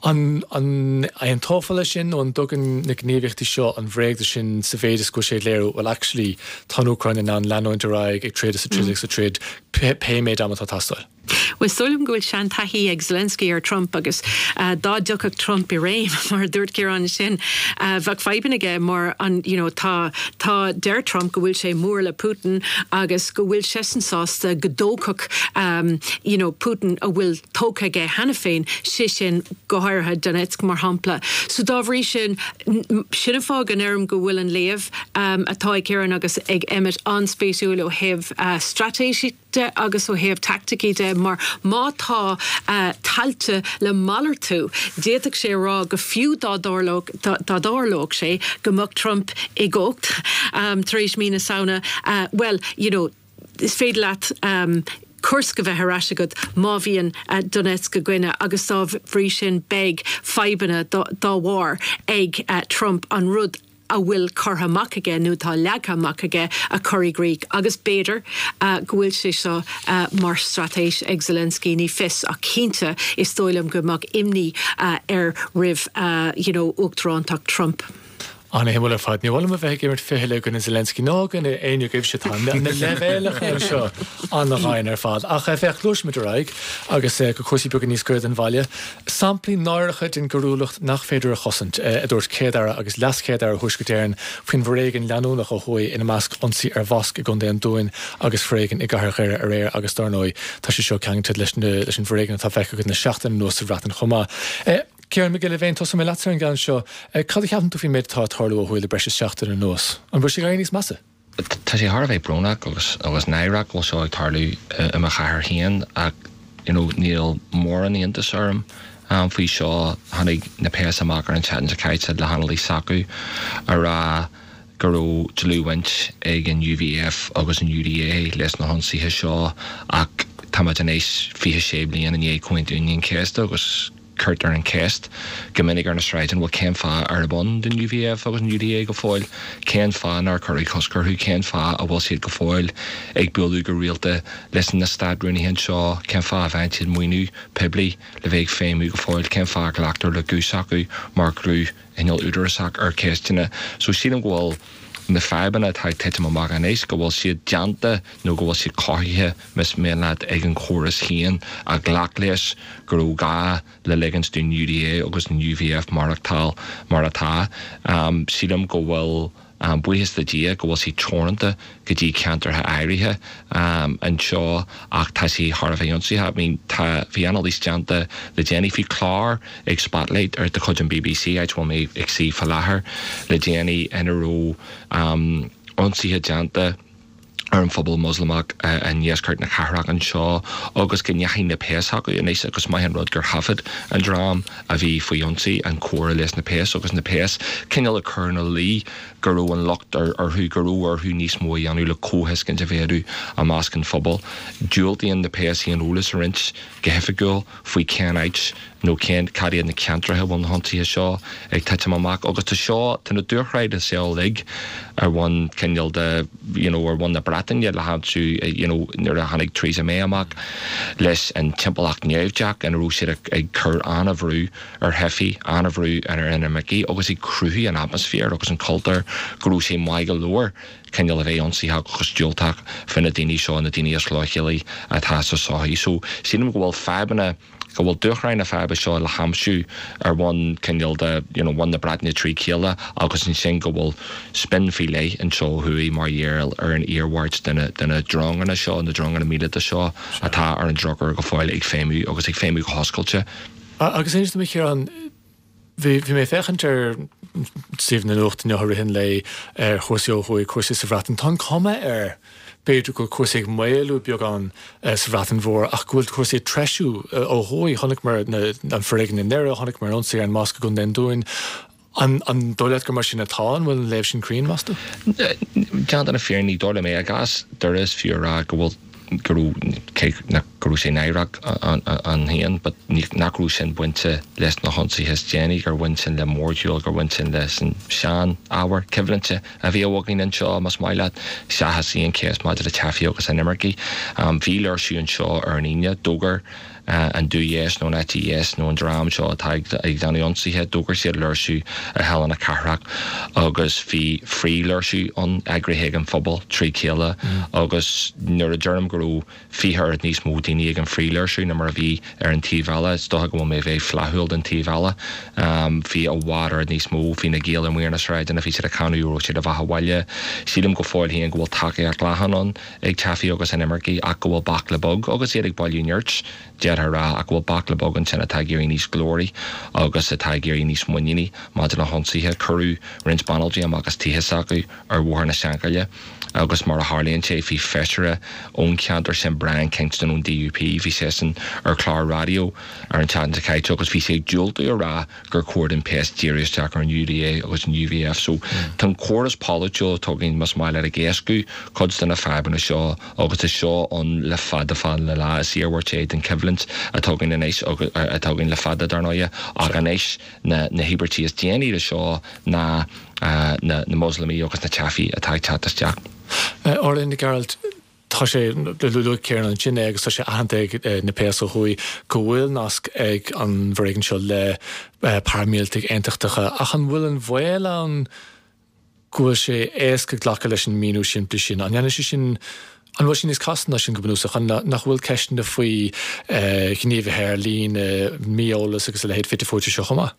An an an tófála sin nó an dtugann na gníomhaíochtaí seo an bhréag sin sa mhéid is go sé léiriú well actually tá an Úcráin in ann leanúint ar aghaidh ag troid is ag troid is ag troid pé méid ama atá ag teastáil. Well is dóigh liom go bhfuil seantaithí ag Zelensky ar Trump agus uh, dá dtiocfadh Trump i réim mar dúirt Ciarán sin uh, bheadh fadhbanna aige mar an you know, tá tá deir Trump go bhfuil sé mór le Putin agus go bhfuil seisean sásta go dtógfadh um, you know, Putin a bhfuil tógtha aige cheana féin sé sin go háirithe Donetsk mar shampla. So dá bhrí sin sin an fáth go ndeirim go bhfuil an léamh um, atá ag Ciarán agus ag Emmet an-spéisiúil ó thaobh uh, straitéisí de agus ó thaobh taicticí de mar má tá uh, tailte le malartú d'fhéadfadh sé rá go fiú dá dtarlódh sé go mbeadh Trump i gcumhacht um, tar éis mí na Samhna uh, well you know is féidir leat um, Kursk a bheith ar ais agat má bhíonn uh, Donetsk againne agus dá bhrí sin beidh fadhbanna dá bharr ag uh, Trump an rud a bhfuil curtha amach aige nó tá leagtha amach aige a chur i gcrích agus b'fhéidir uh, go bhfuil sé seo uh, mar straitéis ag Zelensky ní fios ach cinnte is dóigh liom go mbeadh imní uh, air roimh uh, you know, uachtarántacht Trump. An-shuimiúil ar fad ní bhfuil a bheith ag imirt fichille i gcoinne Zelensky ná i gcoinne éinne agaibh se tá na leibhéalacha seo an-ghreannmhar ar fad. Ach féach gluaisfimid ar aghaidh agus go cúrsaí beaga níos gaire don bhaile. Samplaí náireacha den gcoiriúlacht nach féidir a chosaint a dúirt Céad-Aire agus leas-Chéad-Aire Thuaisceart Éireann faoin bhforéigean leanúnach ó thuaidh ina measc ionsaí ar mhosc i gContae an Dúin agus foréigean i gcathair Dhoire aréir agus dar ndóigh tá sé seo ceangailte leis leis an bhforéigean atá feicthe againn na seachtain anuas sa Bhreatain chomh maith. Ciarán Mac Giolla Bhéin tosóidh mé leatsa ar an gceann seo, cad a cheapann tú faoin méid atá ag tarlú ó thuaidh le breis is seachtain anuas? An bhfuil sé ag éirí níos measa? Tá sé thar a bheith brónach agus agus náireach go bhfuil seo ag tarlú i mo chathair féin ach you know, níl mórán iontas orm um, faoi seo tháinig na péas amach ar an tseachtain seo caite le hanailís s'acu a rá go raibh dlúthbhaint ag an UVF agus an UDA leis na hionsaithe seo ach táimid anois fiche sé bliain i ndiaidh Comhaontú Aoine an Chéasta agus cuirtear an cheist go minic ar na sráideanna bhfuil cén fáth arb ann don UVF agus an UDA go fóill cén fáth nár cuireadh cosc orthu cén fáth a bhfuil siad go fóill ag bualadh go rialta leis na státrúnaithe seo cén fáth a bhfaigheann siad maoiniú poiblí le bheith ag feidhmiú go fóill cén fáth a nglactar le guth s'acu mar ghrúpa cineál údarásach ar cheisteanna so sílim go bhfuil na fadhbanna atá ag titim amach anois go bhfuil siad déanta nó go bhfuil siad cothaithe más mian leat ag an chóras féin a ghlac leis go raibh gá le ligint don UDA agus an UVF maireachtáil mar atá. Um, sílim go bhfuil um, buíochas le Dia go bhfuil sí teoranta go dtí ceantartha áirithe um, anseo ach tá sí thar a bheith ionsaithe. I mean, tá bhí anailís déanta le déanaí bhí clár ag Spotlight ar de chuid an BBC áit bhfuil mé ag suí faoi láthair le déanaí ina raibh um, ionsaithe déanta ar an phobal Moslamach uh, i ndeisceart na cathrach anseo agus go ndeachaigh na péas acu anois agus maith an rud gur thaifead an dream a bhí faoi ionsaí an comhrá leis na péas agus na péas cineál ag cur ina luí go raibh an locht orthu go raibh orthu níos mó a dhéanamh le comhthuiscint a mhéadú i measc an phobail. Diúltaíonn na péas aon eolas a roinnt go hoifigiúil faoi cén áit nó cén cad iad na ceantracha bhfuil na hionsaithe seo ag titim amach agus tá seo tá na dúshláin is uilig ar bhonn cineál de you know, ar bhonn na Breataine le haimsiú you know, nuair a tháinig Theresa May amach leis an timpeallacht naimhdeach ina raibh siad ag cur an-bhrú ar theifigh an-bhrú ar inimircigh agus ag cruthú an atmaisféar agus an cultúr go raibh sé maith go leor cineál a bheith ionsaítheach agus diúltach faoi na daoine seo na daoine is leochailí atá sa sochaí. So sílim go bhfuil fadhbanna go bhfuil dúshláin na faidhbe seo le haimsiú ar bhonn cineál de you know, bhonn na Breataine trí chéile agus ansin go bhfuil spin faoi leith anseo thuaidh mar gheall ar an iarmhairt de na dronganna seo na dronganna míleata seo atá ar an drochuair go fóill ag feidhmiú agus ag feidhmiú go hoscailte. Agus inis dom a Chiaráin bhí mé ag féachaint ar suíomh na nuachta inniu i rith an lae ar chúrsaí ó thuaidh cúrsaí sa Bhreatain Tá an cuma air b'fhéidir go bhfuil cúrsaí ag maolú beagán sa Bhreatain Mhór ach go bhfuil cúrsaí ag treisiú ó thuaidh chonaiceamar an foréigean i nDoire chonaiceamar an ionsaí ar an mosc i gContae an Dúin. An an dóigh leat gur mar sin atá an bhfuil an léamh sin cruinn meas tú? Déanta na fírinne ní dóigh liom é i gcás Doire is fiú a rá go bhfuil go raibh nach go raibh sé náireach ann féin, but nach raibh sin bainte leis na hionsaithe is déanaí gur bhain sin le mórshiúl gur bhain sin leis an sean-ábhar coimhlinte a bhí againn anseo más maith leat seachas aon cheist maidir le teifigh agus inimircigh. Bhí léirsiú anseo ar an Aoine d'fhógair an dúdheis nó an eite dheis nó an dream seo atá ag déanamh ionsaithe d'fhógair siad léirsiú ar Halla na Cathrach agus bhí frithléirsiú ann eagraithe ag an phobal trí chéile agus nuair a deirim go raibh fiche oiread níos mó daoine ag an frithléirsiú ná mar a bhí ar an taobh eile is dócha go bhfuil mé ag bheith flaithiúil don taobh eile. Bhí i bhfad oiread níos mó bhí na Gaeil amuigh ar na sráideanna bhí siad ag canadh raibh siad a bheatha bhaile. Sílim go fóill féin go bhfuil tacaíocht leathan ann ag teifigh agus inimircigh ach go bhfuil baicle beag agus iad ag bailiú nirt d'fhéadfá a rá ach go bhfuil baicle beag ansin atá ag éirí níos glóraí agus atá ag éirí níos muiníní maidir le hionsaithe. Cuireadh roinnt banaltraí amach as tithe s'acu ar Bhóthar na Seanchaille Agus mar a tharlaíonn sé, bhí feisire ón cheantar sin, Brian Kingston ón D U P, bhí seisean ar chlár raidió ar an tseachtain seo caite agus bhí sé ag diúltú a rá gur chóir don péas díriú isteach ar an U D A agus an U V F. So tá an córas polaitiúil atá againn, más maith leat, ag éascú cuid de na fadhbanna seo agus is seo ann le fada fada le lá. Is iarmhairt é den choimhlint atá againn anois atá againn le fada dar ndóigh ach anois na na híobairtí is déanaí de seo ná na na Moslamaigh agus na teifigh atá ag teacht isteach. Orla Nic Gearailt, tá sé luaigh Ciarán ansin é agus tá sé aitheanta ag na péas ó thuaidh go bhfuil nasc ag an bhforéigean seo le paraimíleataigh aontachtacha, ach an bhfuil an baol ann go bhfuil sé éasca glacadh leis an míniú simplí sin? An ndéanann sé sin an bhfuil sé níos casta ná sin go bunúsach, an nach bhfuil ceisteanna faoi ghníomhaithe ar líne, mí-eolas agus a leithéid fite fuaite seo chomh maith?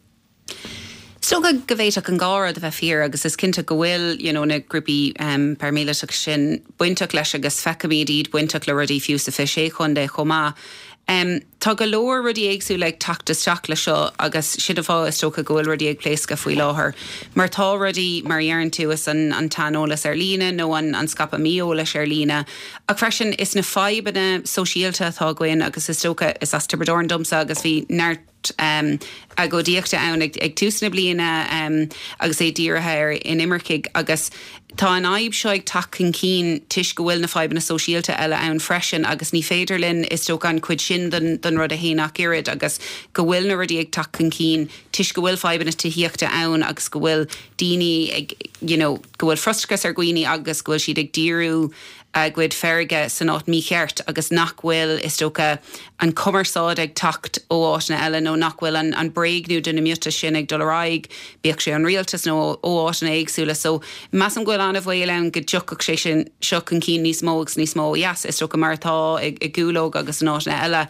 Is dócha go bhféadfadh an dhá rud a bheith fíor agus is cinnte go bhfuil you know, na grúpaí um, paraimíleatach sin bainteach leis agus feicimid iad bainteach le rudaí fiú sa fiche sé chontae chomh maith. Um, tá go leor rudaí éagsúla ag teacht isteach le seo agus sin an fáth is dócha go bhfuil rudaí ag pléascadh faoi láthair. Mar tá rudaí mar deireann tú is an, an t-aineolas ar líne nó an, an scaipeadh mí-eolais ar líne. Ach freisin is na fadhbanna sóisialta atá againn agus is dócha is as Tiobraid Árann domsa agus bhí neart um, agóidíochta ann ag, ag tús na bliana um, agus é dírithe ar inimircigh agus tá an fhadhb seo ag teacht chun cinn toisc go bhfuil na fadhbanna sóisialta eile ann freisin agus ní féidir linn is dócha an chuid sin den, den rud a shéanadh ach oiread agus go bhfuil na rudaí ag teacht chun cinn toisc go bhfuil fadhbanna tithíochta ann agus go bhfuil daoine ag you know, go bhfuil frustrachas ar dhaoine agus go bhfuil siad ag díriú a gcuid feirge san áit mícheart agus nach bhfuil is dócha an cumarsáid ag teacht ó áiteanna eile nó nach bhfuil an, an bréagnú de na miotais sin ag dul ar aghaidh, bíodh sé an rialtas nó ó áiteanna éagsúla, so measaim go bhfuil an-bhaol ann go dtiocfadh sé sin seo chun cinn níos mó agus níos mó yes, is dócha mar atá i, i gCúlóg agus in áiteanna eile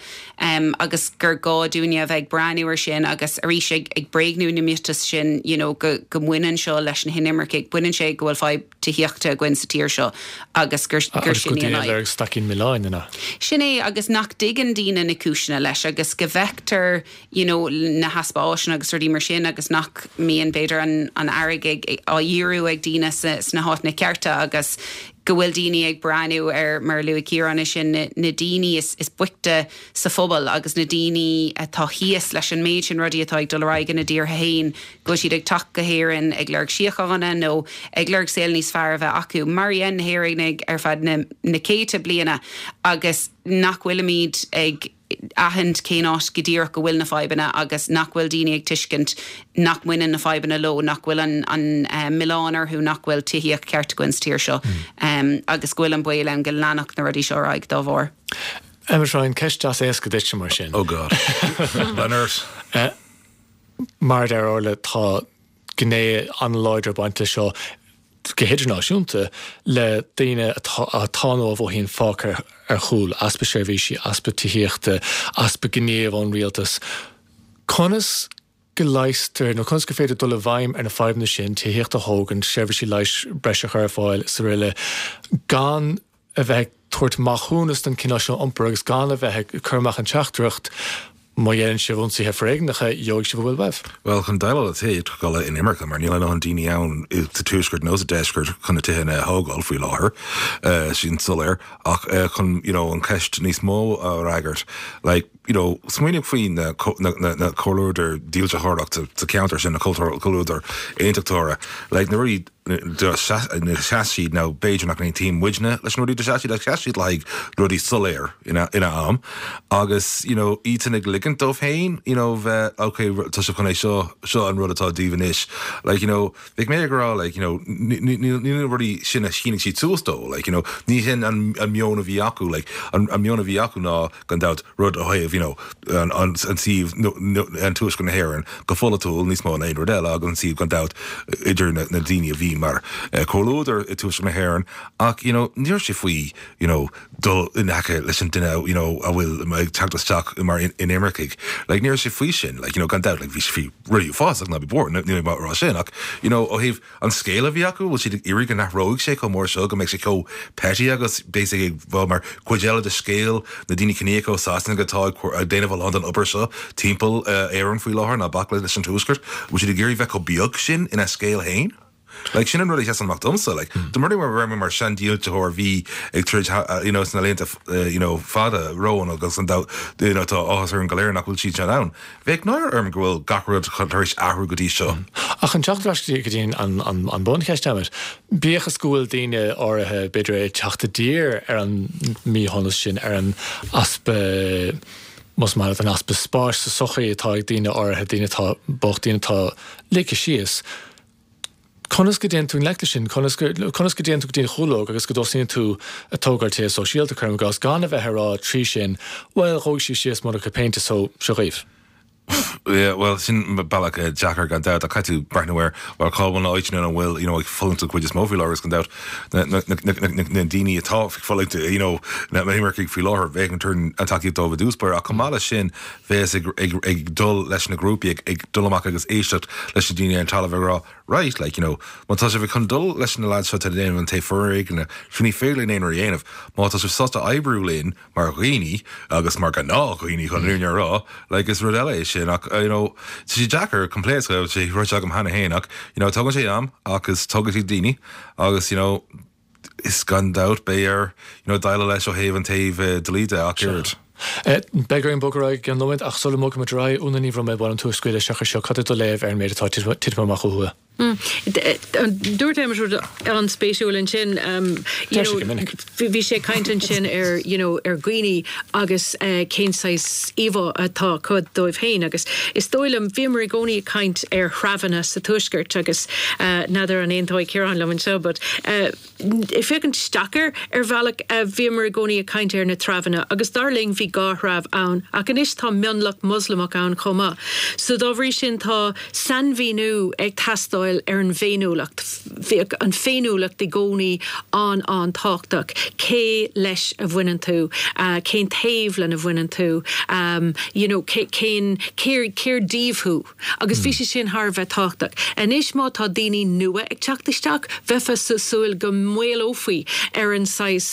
um, agus gur gá dúinne a bheith ag breathnú ar sin agus arís ag, ag bréagnú na miotas sin you know, go, go mbaineann seo leis na hinimircigh, baineann sé go bhfuil fadhb tithíochta againn sa tír seo agus gur gur sin í an fhadhb. Staicín milleáin ina. Sin é agus nach dtuigeann daoine na cúiseanna leis agus go bhfeictear you know, na heaspa áiseanna agus rudaí mar sin agus nach mbíonn b'fhéidir an, an airgead á dhíriú ag daoine sna háiteanna cearta agus go bhfuil daoine ag breathnú ar mar luaigh Ciarán sin na, na daoine is, is boichte sa phobal agus na daoine atá thíos leis an méid sin rudaí atá ag dul ar aghaidh ina dtíortha féin, go siad ag teacht go hÉirinn ag lorg síochána nó ag lorg saol níos fearr a bheith acu. Mar a dhein na hÉireannaigh ar feadh na, na céadta bliana agus nach bhfuilimid ag aithint cén áit go díreach go bhfuil na fadhbanna agus nach bhfuil daoine ag tuiscint nach mbaineann na fadhbanna leo, nach bhfuil an, an uh, milleán orthu nach bhfuil tithíocht ceart againn sa tír seo mm. um, agus go bhfuil an baol ann go leanfadh na rudaí seo ar aghaidh dá bharr. Emmet Ryan, ceist deas éasca duit mar sin. Oh God. Leonard. Uh, mar deir Orla tá gné an-láidir bainte seo go hidirnáisiúnta le daoine atá nó a mhothaíonn fágtha ar chúl, easpa seirbhísí, easpa tithíochta, easpa gníomh ón rialtas. Conas go leigheastar nó conas go féidir dul i bhfeidhm ar na fadhbanna sin tithíocht a thógáil, seirbhísí leighis breise a chur ar fáil is araile gan a bheith tabhairt maithiúnas don cineál seo iompair agus gan a bheith ag cur amach an teachtaireacht má dhéanann sibh ionsaithe foréigneacha gheobhaidh sibh a bhfuil uaibh. Well chun déileáil le tithe go in imirce mar níl an daoine ann sa tuaisceart nó sa deisceart chun na tithe a thógáil faoi láthair uh, sin soiléir ach uh, chun you know, an ceist níos mó a fhreagairt like, you know, smaoinigh faoi na, na, na, na comhluadar dílseoireacht sa cheantar sin na comhluadar aontachtóra like, na rudaí na sheas siad nó b'fhéidir nach n-aontaíonn muidne leis na rudaí de sheas siad sheas siad le rudaí soiléir ina ina am agus you know iad ag ligint dóibh féin you know bheith okay tá sé chun é seo seo an rud atá díobh anois like you know bheadh mé ag rá like you know ní rudaí sin a shínigh siad suas dó like you know ní hin an an meon a bhí acu like an an meon a bhí acu ná gan dabht rud ó thaobh you know an an an suíomh an tuaisceart na hÉireann go polaitiúil níos mó ná aon rud eile agus an suíomh gan dabht idir na, na daoine a bhí mar uh, comhluadar i tuaisceart na hÉireann ach you know níor sé faoi you know dul in aice leis an duine you know a bhfuil ag teacht isteach mar in, inimircigh like níor sé faoi sin like you know gan dabht like bhí sé faoi rudaí uafásach ná bí buartha ní mar rá sin ach you know ó thaobh an scéal a bhí acu bhfuil siad ag iarraidh go n-athróidh sé chomh mór seo go mbeidh sé chomh petty agus basically bheith mar cuid eile de scéal na daoine ciníocha ó Sasana atá ag déanamh a lán den obair seo timpeall uh, Éireann faoi láthair ná bac leis an tuaisceart bhfuil siad ag iarraidh bheith chomh beag sin ina scéal féin. Like sin an rud a sheasann amach domsa, like dá mba rud é mar seandílseoir a bhí ag troid you know sna laethanta you know fada romhainn agus an you know tá áthas orainn go léir nach bhfuil siad sin ann. Bheadh náire orm go bhfuil gach rud tar éis athrú go dtí seo. Ach an teacht ar ais go dtí an an an buncheist Emmet, bíodh is go bhfuil daoine áirithe b'fhéidir ag teacht i dtír ar an míshonas sin ar an easpa más maith leat an easpa spáis sa sochaí atá ag daoine áirithe, daoine atá bocht, daoine atá ligthe síos. Conas go dtéann tú i ngleic leis sin? Conas go conas go dtéann tú go dtí an chúlóg agus go dtosaíonn tú ag tógáil tithe sóisialta, cuirim i gcás, gan a bheith ag rá trí sin, bhuel, dhóigh siad síos monarcha péinte so seo dhaoibh. Yeah, well, sin bealach deacair gan dabht, ach caithfidh tú breathnú ar, well, cá bhfuil na áiteanna ina bhfuil, you know, ag fulaingt an chuid is mó faoi láthair, is gan dabht na, na, na, na, na, na daoine atá ag fulaingt, you know, na himircigh faoi láthair, bheadh an turn an tacaíocht dóibh i dtús báire, ach chomh maith leis sin, bheas ag, ag, ag dul leis na grúpaí, ag, ag dul amach agus éisteacht leis na daoine ar an talamh ag rá, right, like, you know, má tá sibh chun dul leis na lads seo atá ag déanamh an taobh foréigin, sin ní féidir linn aon rud a dhéanamh. Má tá sibh sásta oibriú linn mar dhaoine agus mar ghnáthdhaoine chun an fhírinne a rá, like, is rud eile é sin ach, you know, tá sé deacair coimpléasc, sé ráite agam cheana féin ach, you know, tógann sé am agus tógann sé daoine agus, you know, is gan dabht beidh air, you know, déileáil leis ó thaobh an taobh dlí de ach oiread. Beidh orainn bogadh ar aghaidh i gceann nóiméad ach sula mbogfaimid ar aghaidh, Úna Ní Bhroiméil, ba mhaith liom tú a scaoileadh isteach anseo. Cad é do léamh ar an méid atá titithe amach ó thuaidh? Dúirt Emmet rud an-spéisiúil ansin, you know, bhí sé ag caint ansin ar, you know, ar dhaoine agus cén saghas íomhá atá acu dóibh féin agus is dóigh liom, bhíomar i gcónaí ag caint ar threabhanna sa Tuaisceart agus n'fheadar an aontóidh Ciarán liom anseo but ag féachaint isteach air ar bhealach bhíomar i gcónaí ag caint ar na treabhanna agus dar linn bhí dhá threabh ann ach anois tá mionlach Moslamach ann chomh maith. So dá bhrí sin tá sainmhíniú ag teastáil ar an bhféiniúlacht. Bhíodh an féiniúlacht i gcónaí an-an-tábhachtach. Cé leis a bhaineann tú? Cén taobh lena bhaineann tú? You know, cén, cér, cér díobh thú? Agus bhí sé sin thar a bheith tábhachtach. Anois má tá daoine nua ag teacht isteach, bheifeá ag súil go maolófaí ar an saghas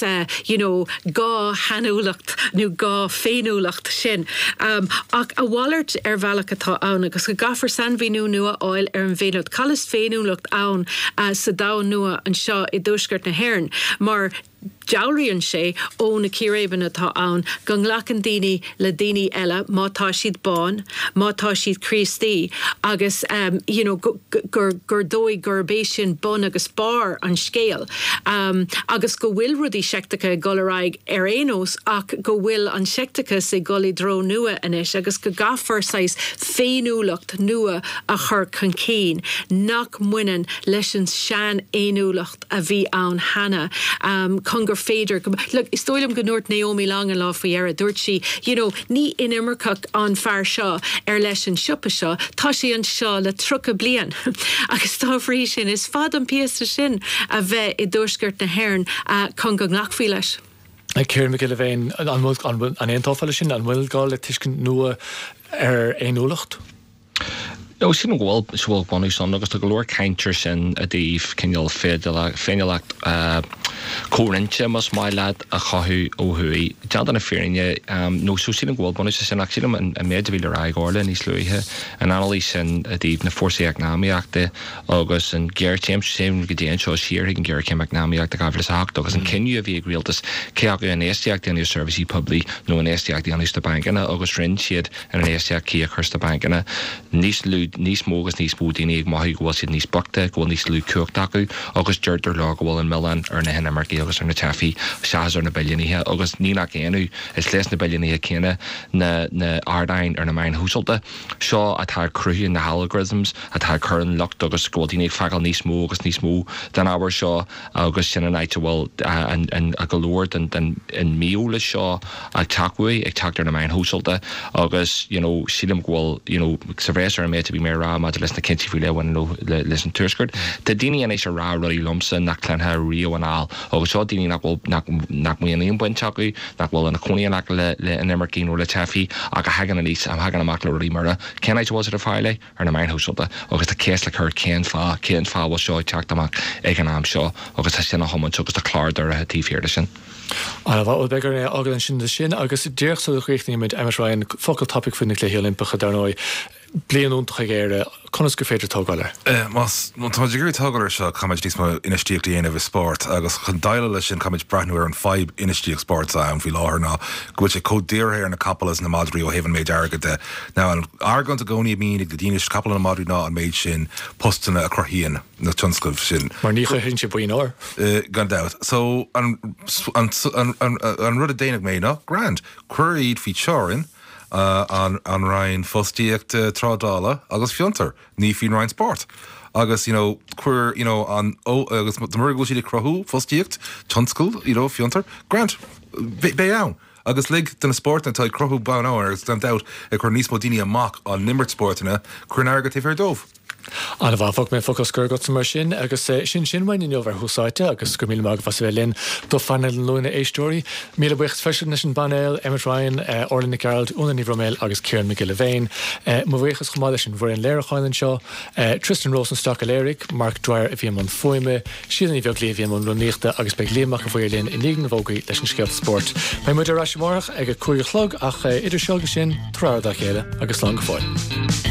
you know dhá shainiúlacht nó dhá féiniúlacht sin. Ach a mhalairt ar bhealach atá ann agus go gcaithfear sainmhíniú nua a fháil ar an bhféiniúlacht. Cad is féiniúlacht ann sa domhan nua anseo i dTuaisceart na hÉireann mar Dealraíonn sé ó na círéibeanna atá ann go nglacann daoine le daoine eile má tá siad bán, má tá siad Críostaí agus you know gur gur dóigh gurb é sin bun agus barr an scéil agus go bhfuil rudaí seicteacha ag dul ar aghaidh ar aon nós ach go bhfuil an seicteachas ag dul i dtreo nua anois agus go gcaithfear saghas féiniúlacht nua a chur chun cinn nach mbaineann leis an seanfhéiniúlacht a bhí ann cheana. chun gur féidir go, look, is dóigh liom go ndúirt Naomi Long an lá faoi dheireadh, dúirt sí, you know, ní inimirceach an fear seo ar leis an siopa seo, tá sé anseo le tríocha bliain agus dá bhrí sin is fada an píosa sin a bheith i dtuaisceart na hÉireann chun go nglacfaí leis. Ciarán Mac Giolla Bhéin, an bhfuil, an aontófá leis sin? An bhfuil gá le tuiscint nua ar fhéiniúlacht? Ó, sílim go bhfuil, go bhfuil bunús ann agus tá go leor caint ar sin i dtaobh cineál féiniúlacht comhroinnte, más maith leat, a chothú ó thuaidh. Déanta na fírinne, nó so sílim go bhfuil bunús leis sin ach sílim an méid a bhí le rá ag Orla níos luaithe, an anailís sin i dtaobh na fórsaí eacnamaíochta agus an ghéarchéim, téim go dtí anseo siar chuig an ghéarchéim eacnamaíochta dhá mhíle is a hocht agus an cinneadh a bhí ag rialtas cé acu infheistíocht a dhéanamh i seirbhísí poiblí nó infheistíocht a dhéanamh sna bancanna agus rinne siad an infheistíocht cuí a chur sna bancanna. Níos lú, níos mó agus níos mó daoine ag mothú go bhfuil siad níos boichte, go bhfuil níos lú cumhachta acu agus deirtear leo go bhfuil an milleán ar na hinimircigh agus ar na teifigh seachas ar na billiúnaithe agus ní nach ionadh, is leis na billiúnaithe céanna na na ardáin ar na meáin shóisialta seo atá ag cruthú na halgorithms atá ag cur an locht agus go bhfuil daoine ag feiceáil níos mó agus níos mó den ábhar seo agus sin an áit a bhfuil an an go leor den den an mí-eolas seo ag teacht uaidh, ag teacht ar na meáin shóisialta agus you know sílim go bhfuil you know sa bhreis ar an méid a bhí mé a rá maidir leis na cinntí faoi leith a bhaineann leis an Tuaisceart, tá daoine anois ag rá rudaí liomsa nach gcluinfeá riamh anall agus seo daoine nach bhfuil nach nach mbíonn aon bhaint acu, nach bhfuil ina cónaí in aice le le inimircigh nó le teifigh ach a thagann aníos, a thagann amach le rudaí mar cén áit a bhfuil siad ag fáil é? Ar na meáin shóisialta agus tá ceist le cur cén fáth, cén fáth a bhfuil seo ag teacht amach ag an am seo agus tá sin á thiomáint agus tá clár dírithe taobh thiar de sin. Ana mhaith, bhuel beidh orainn é a fhágáil ansin leis sin agus díreach sula gcríochnaímid, Emmet Ryan, focal tapaidh faoi na Cluichí Oilimpeacha dar ndóigh. Bliain iontach ag Éire, conas gur féidir tógáil air? Más tá ag iarraidh tógáil air seo, caithfimid níos mó infheistíocht a dhéanamh i spórt agus chun déileáil leis sin caithfimid breathnú ar an fadhb infheistíocht spóirt atá ann faoi láthair ná go bhfuil sé chomh dírithe ar na capaill is na madraí ó thaobh an méid airgid de. Now an argóint i gcónaí a bhíonn ag na daoine is capaill na madraí ná an méid sin postanna a chruthaíonn na tionscnaimh sin. Mar ní chruthaíonn sé boinn óir. Gan dabht. So an, an, an, an, an rud a déanfaidh mé ná grand, cuir iad faoi teorainn an an Roinn Fostaíochta Trádála agus Fiontar, ní faoin Roinn Spóirt. Agus you know, cuir you know, an ó agus mura bhfuil siad ag cruthú fostaíocht, tionscal, you know, fiontar, grand, beidh ann. Agus lig do na spórtanna atá ag cruthú bonn óir agus gan dabht ag cur níos mó daoine amach á n-imirt spórtanna, cuir an airgead taobh thiar dóibh. An-mhaith, fágfaidh mé focal scoir agatsa mar sin agus sin sin uainn inniu ar Thús Áite agus go raibh míle maith agaibh as a bheith linn do phainéal an Luain, a éisteoirí. Míle buíochas freisin leis an bpainéal, Emmet Ryan, Orla Nic Gearailt, Úna Ní Bhroiméil agus Ciarán Mac Giolla Bhéin. Mo bhuíochas chomh maith leis an bhfoireann léiriúcháin anseo, Tristan Rosenstock a léirigh, Mark Dwyer a bhí i mbun fuaime, Síle Ní Bheaglaoich a bhí i mbun rúnaíochta agus beidh Liam Mac an Bhaoir linn i ndiaidh na bhfógraí leis an scéalta spóirt. Beidh muid ar ais amárach ag a cúig a chlog ach idir seo agus sin, tabhair aire dá chéile agus slán go fóill.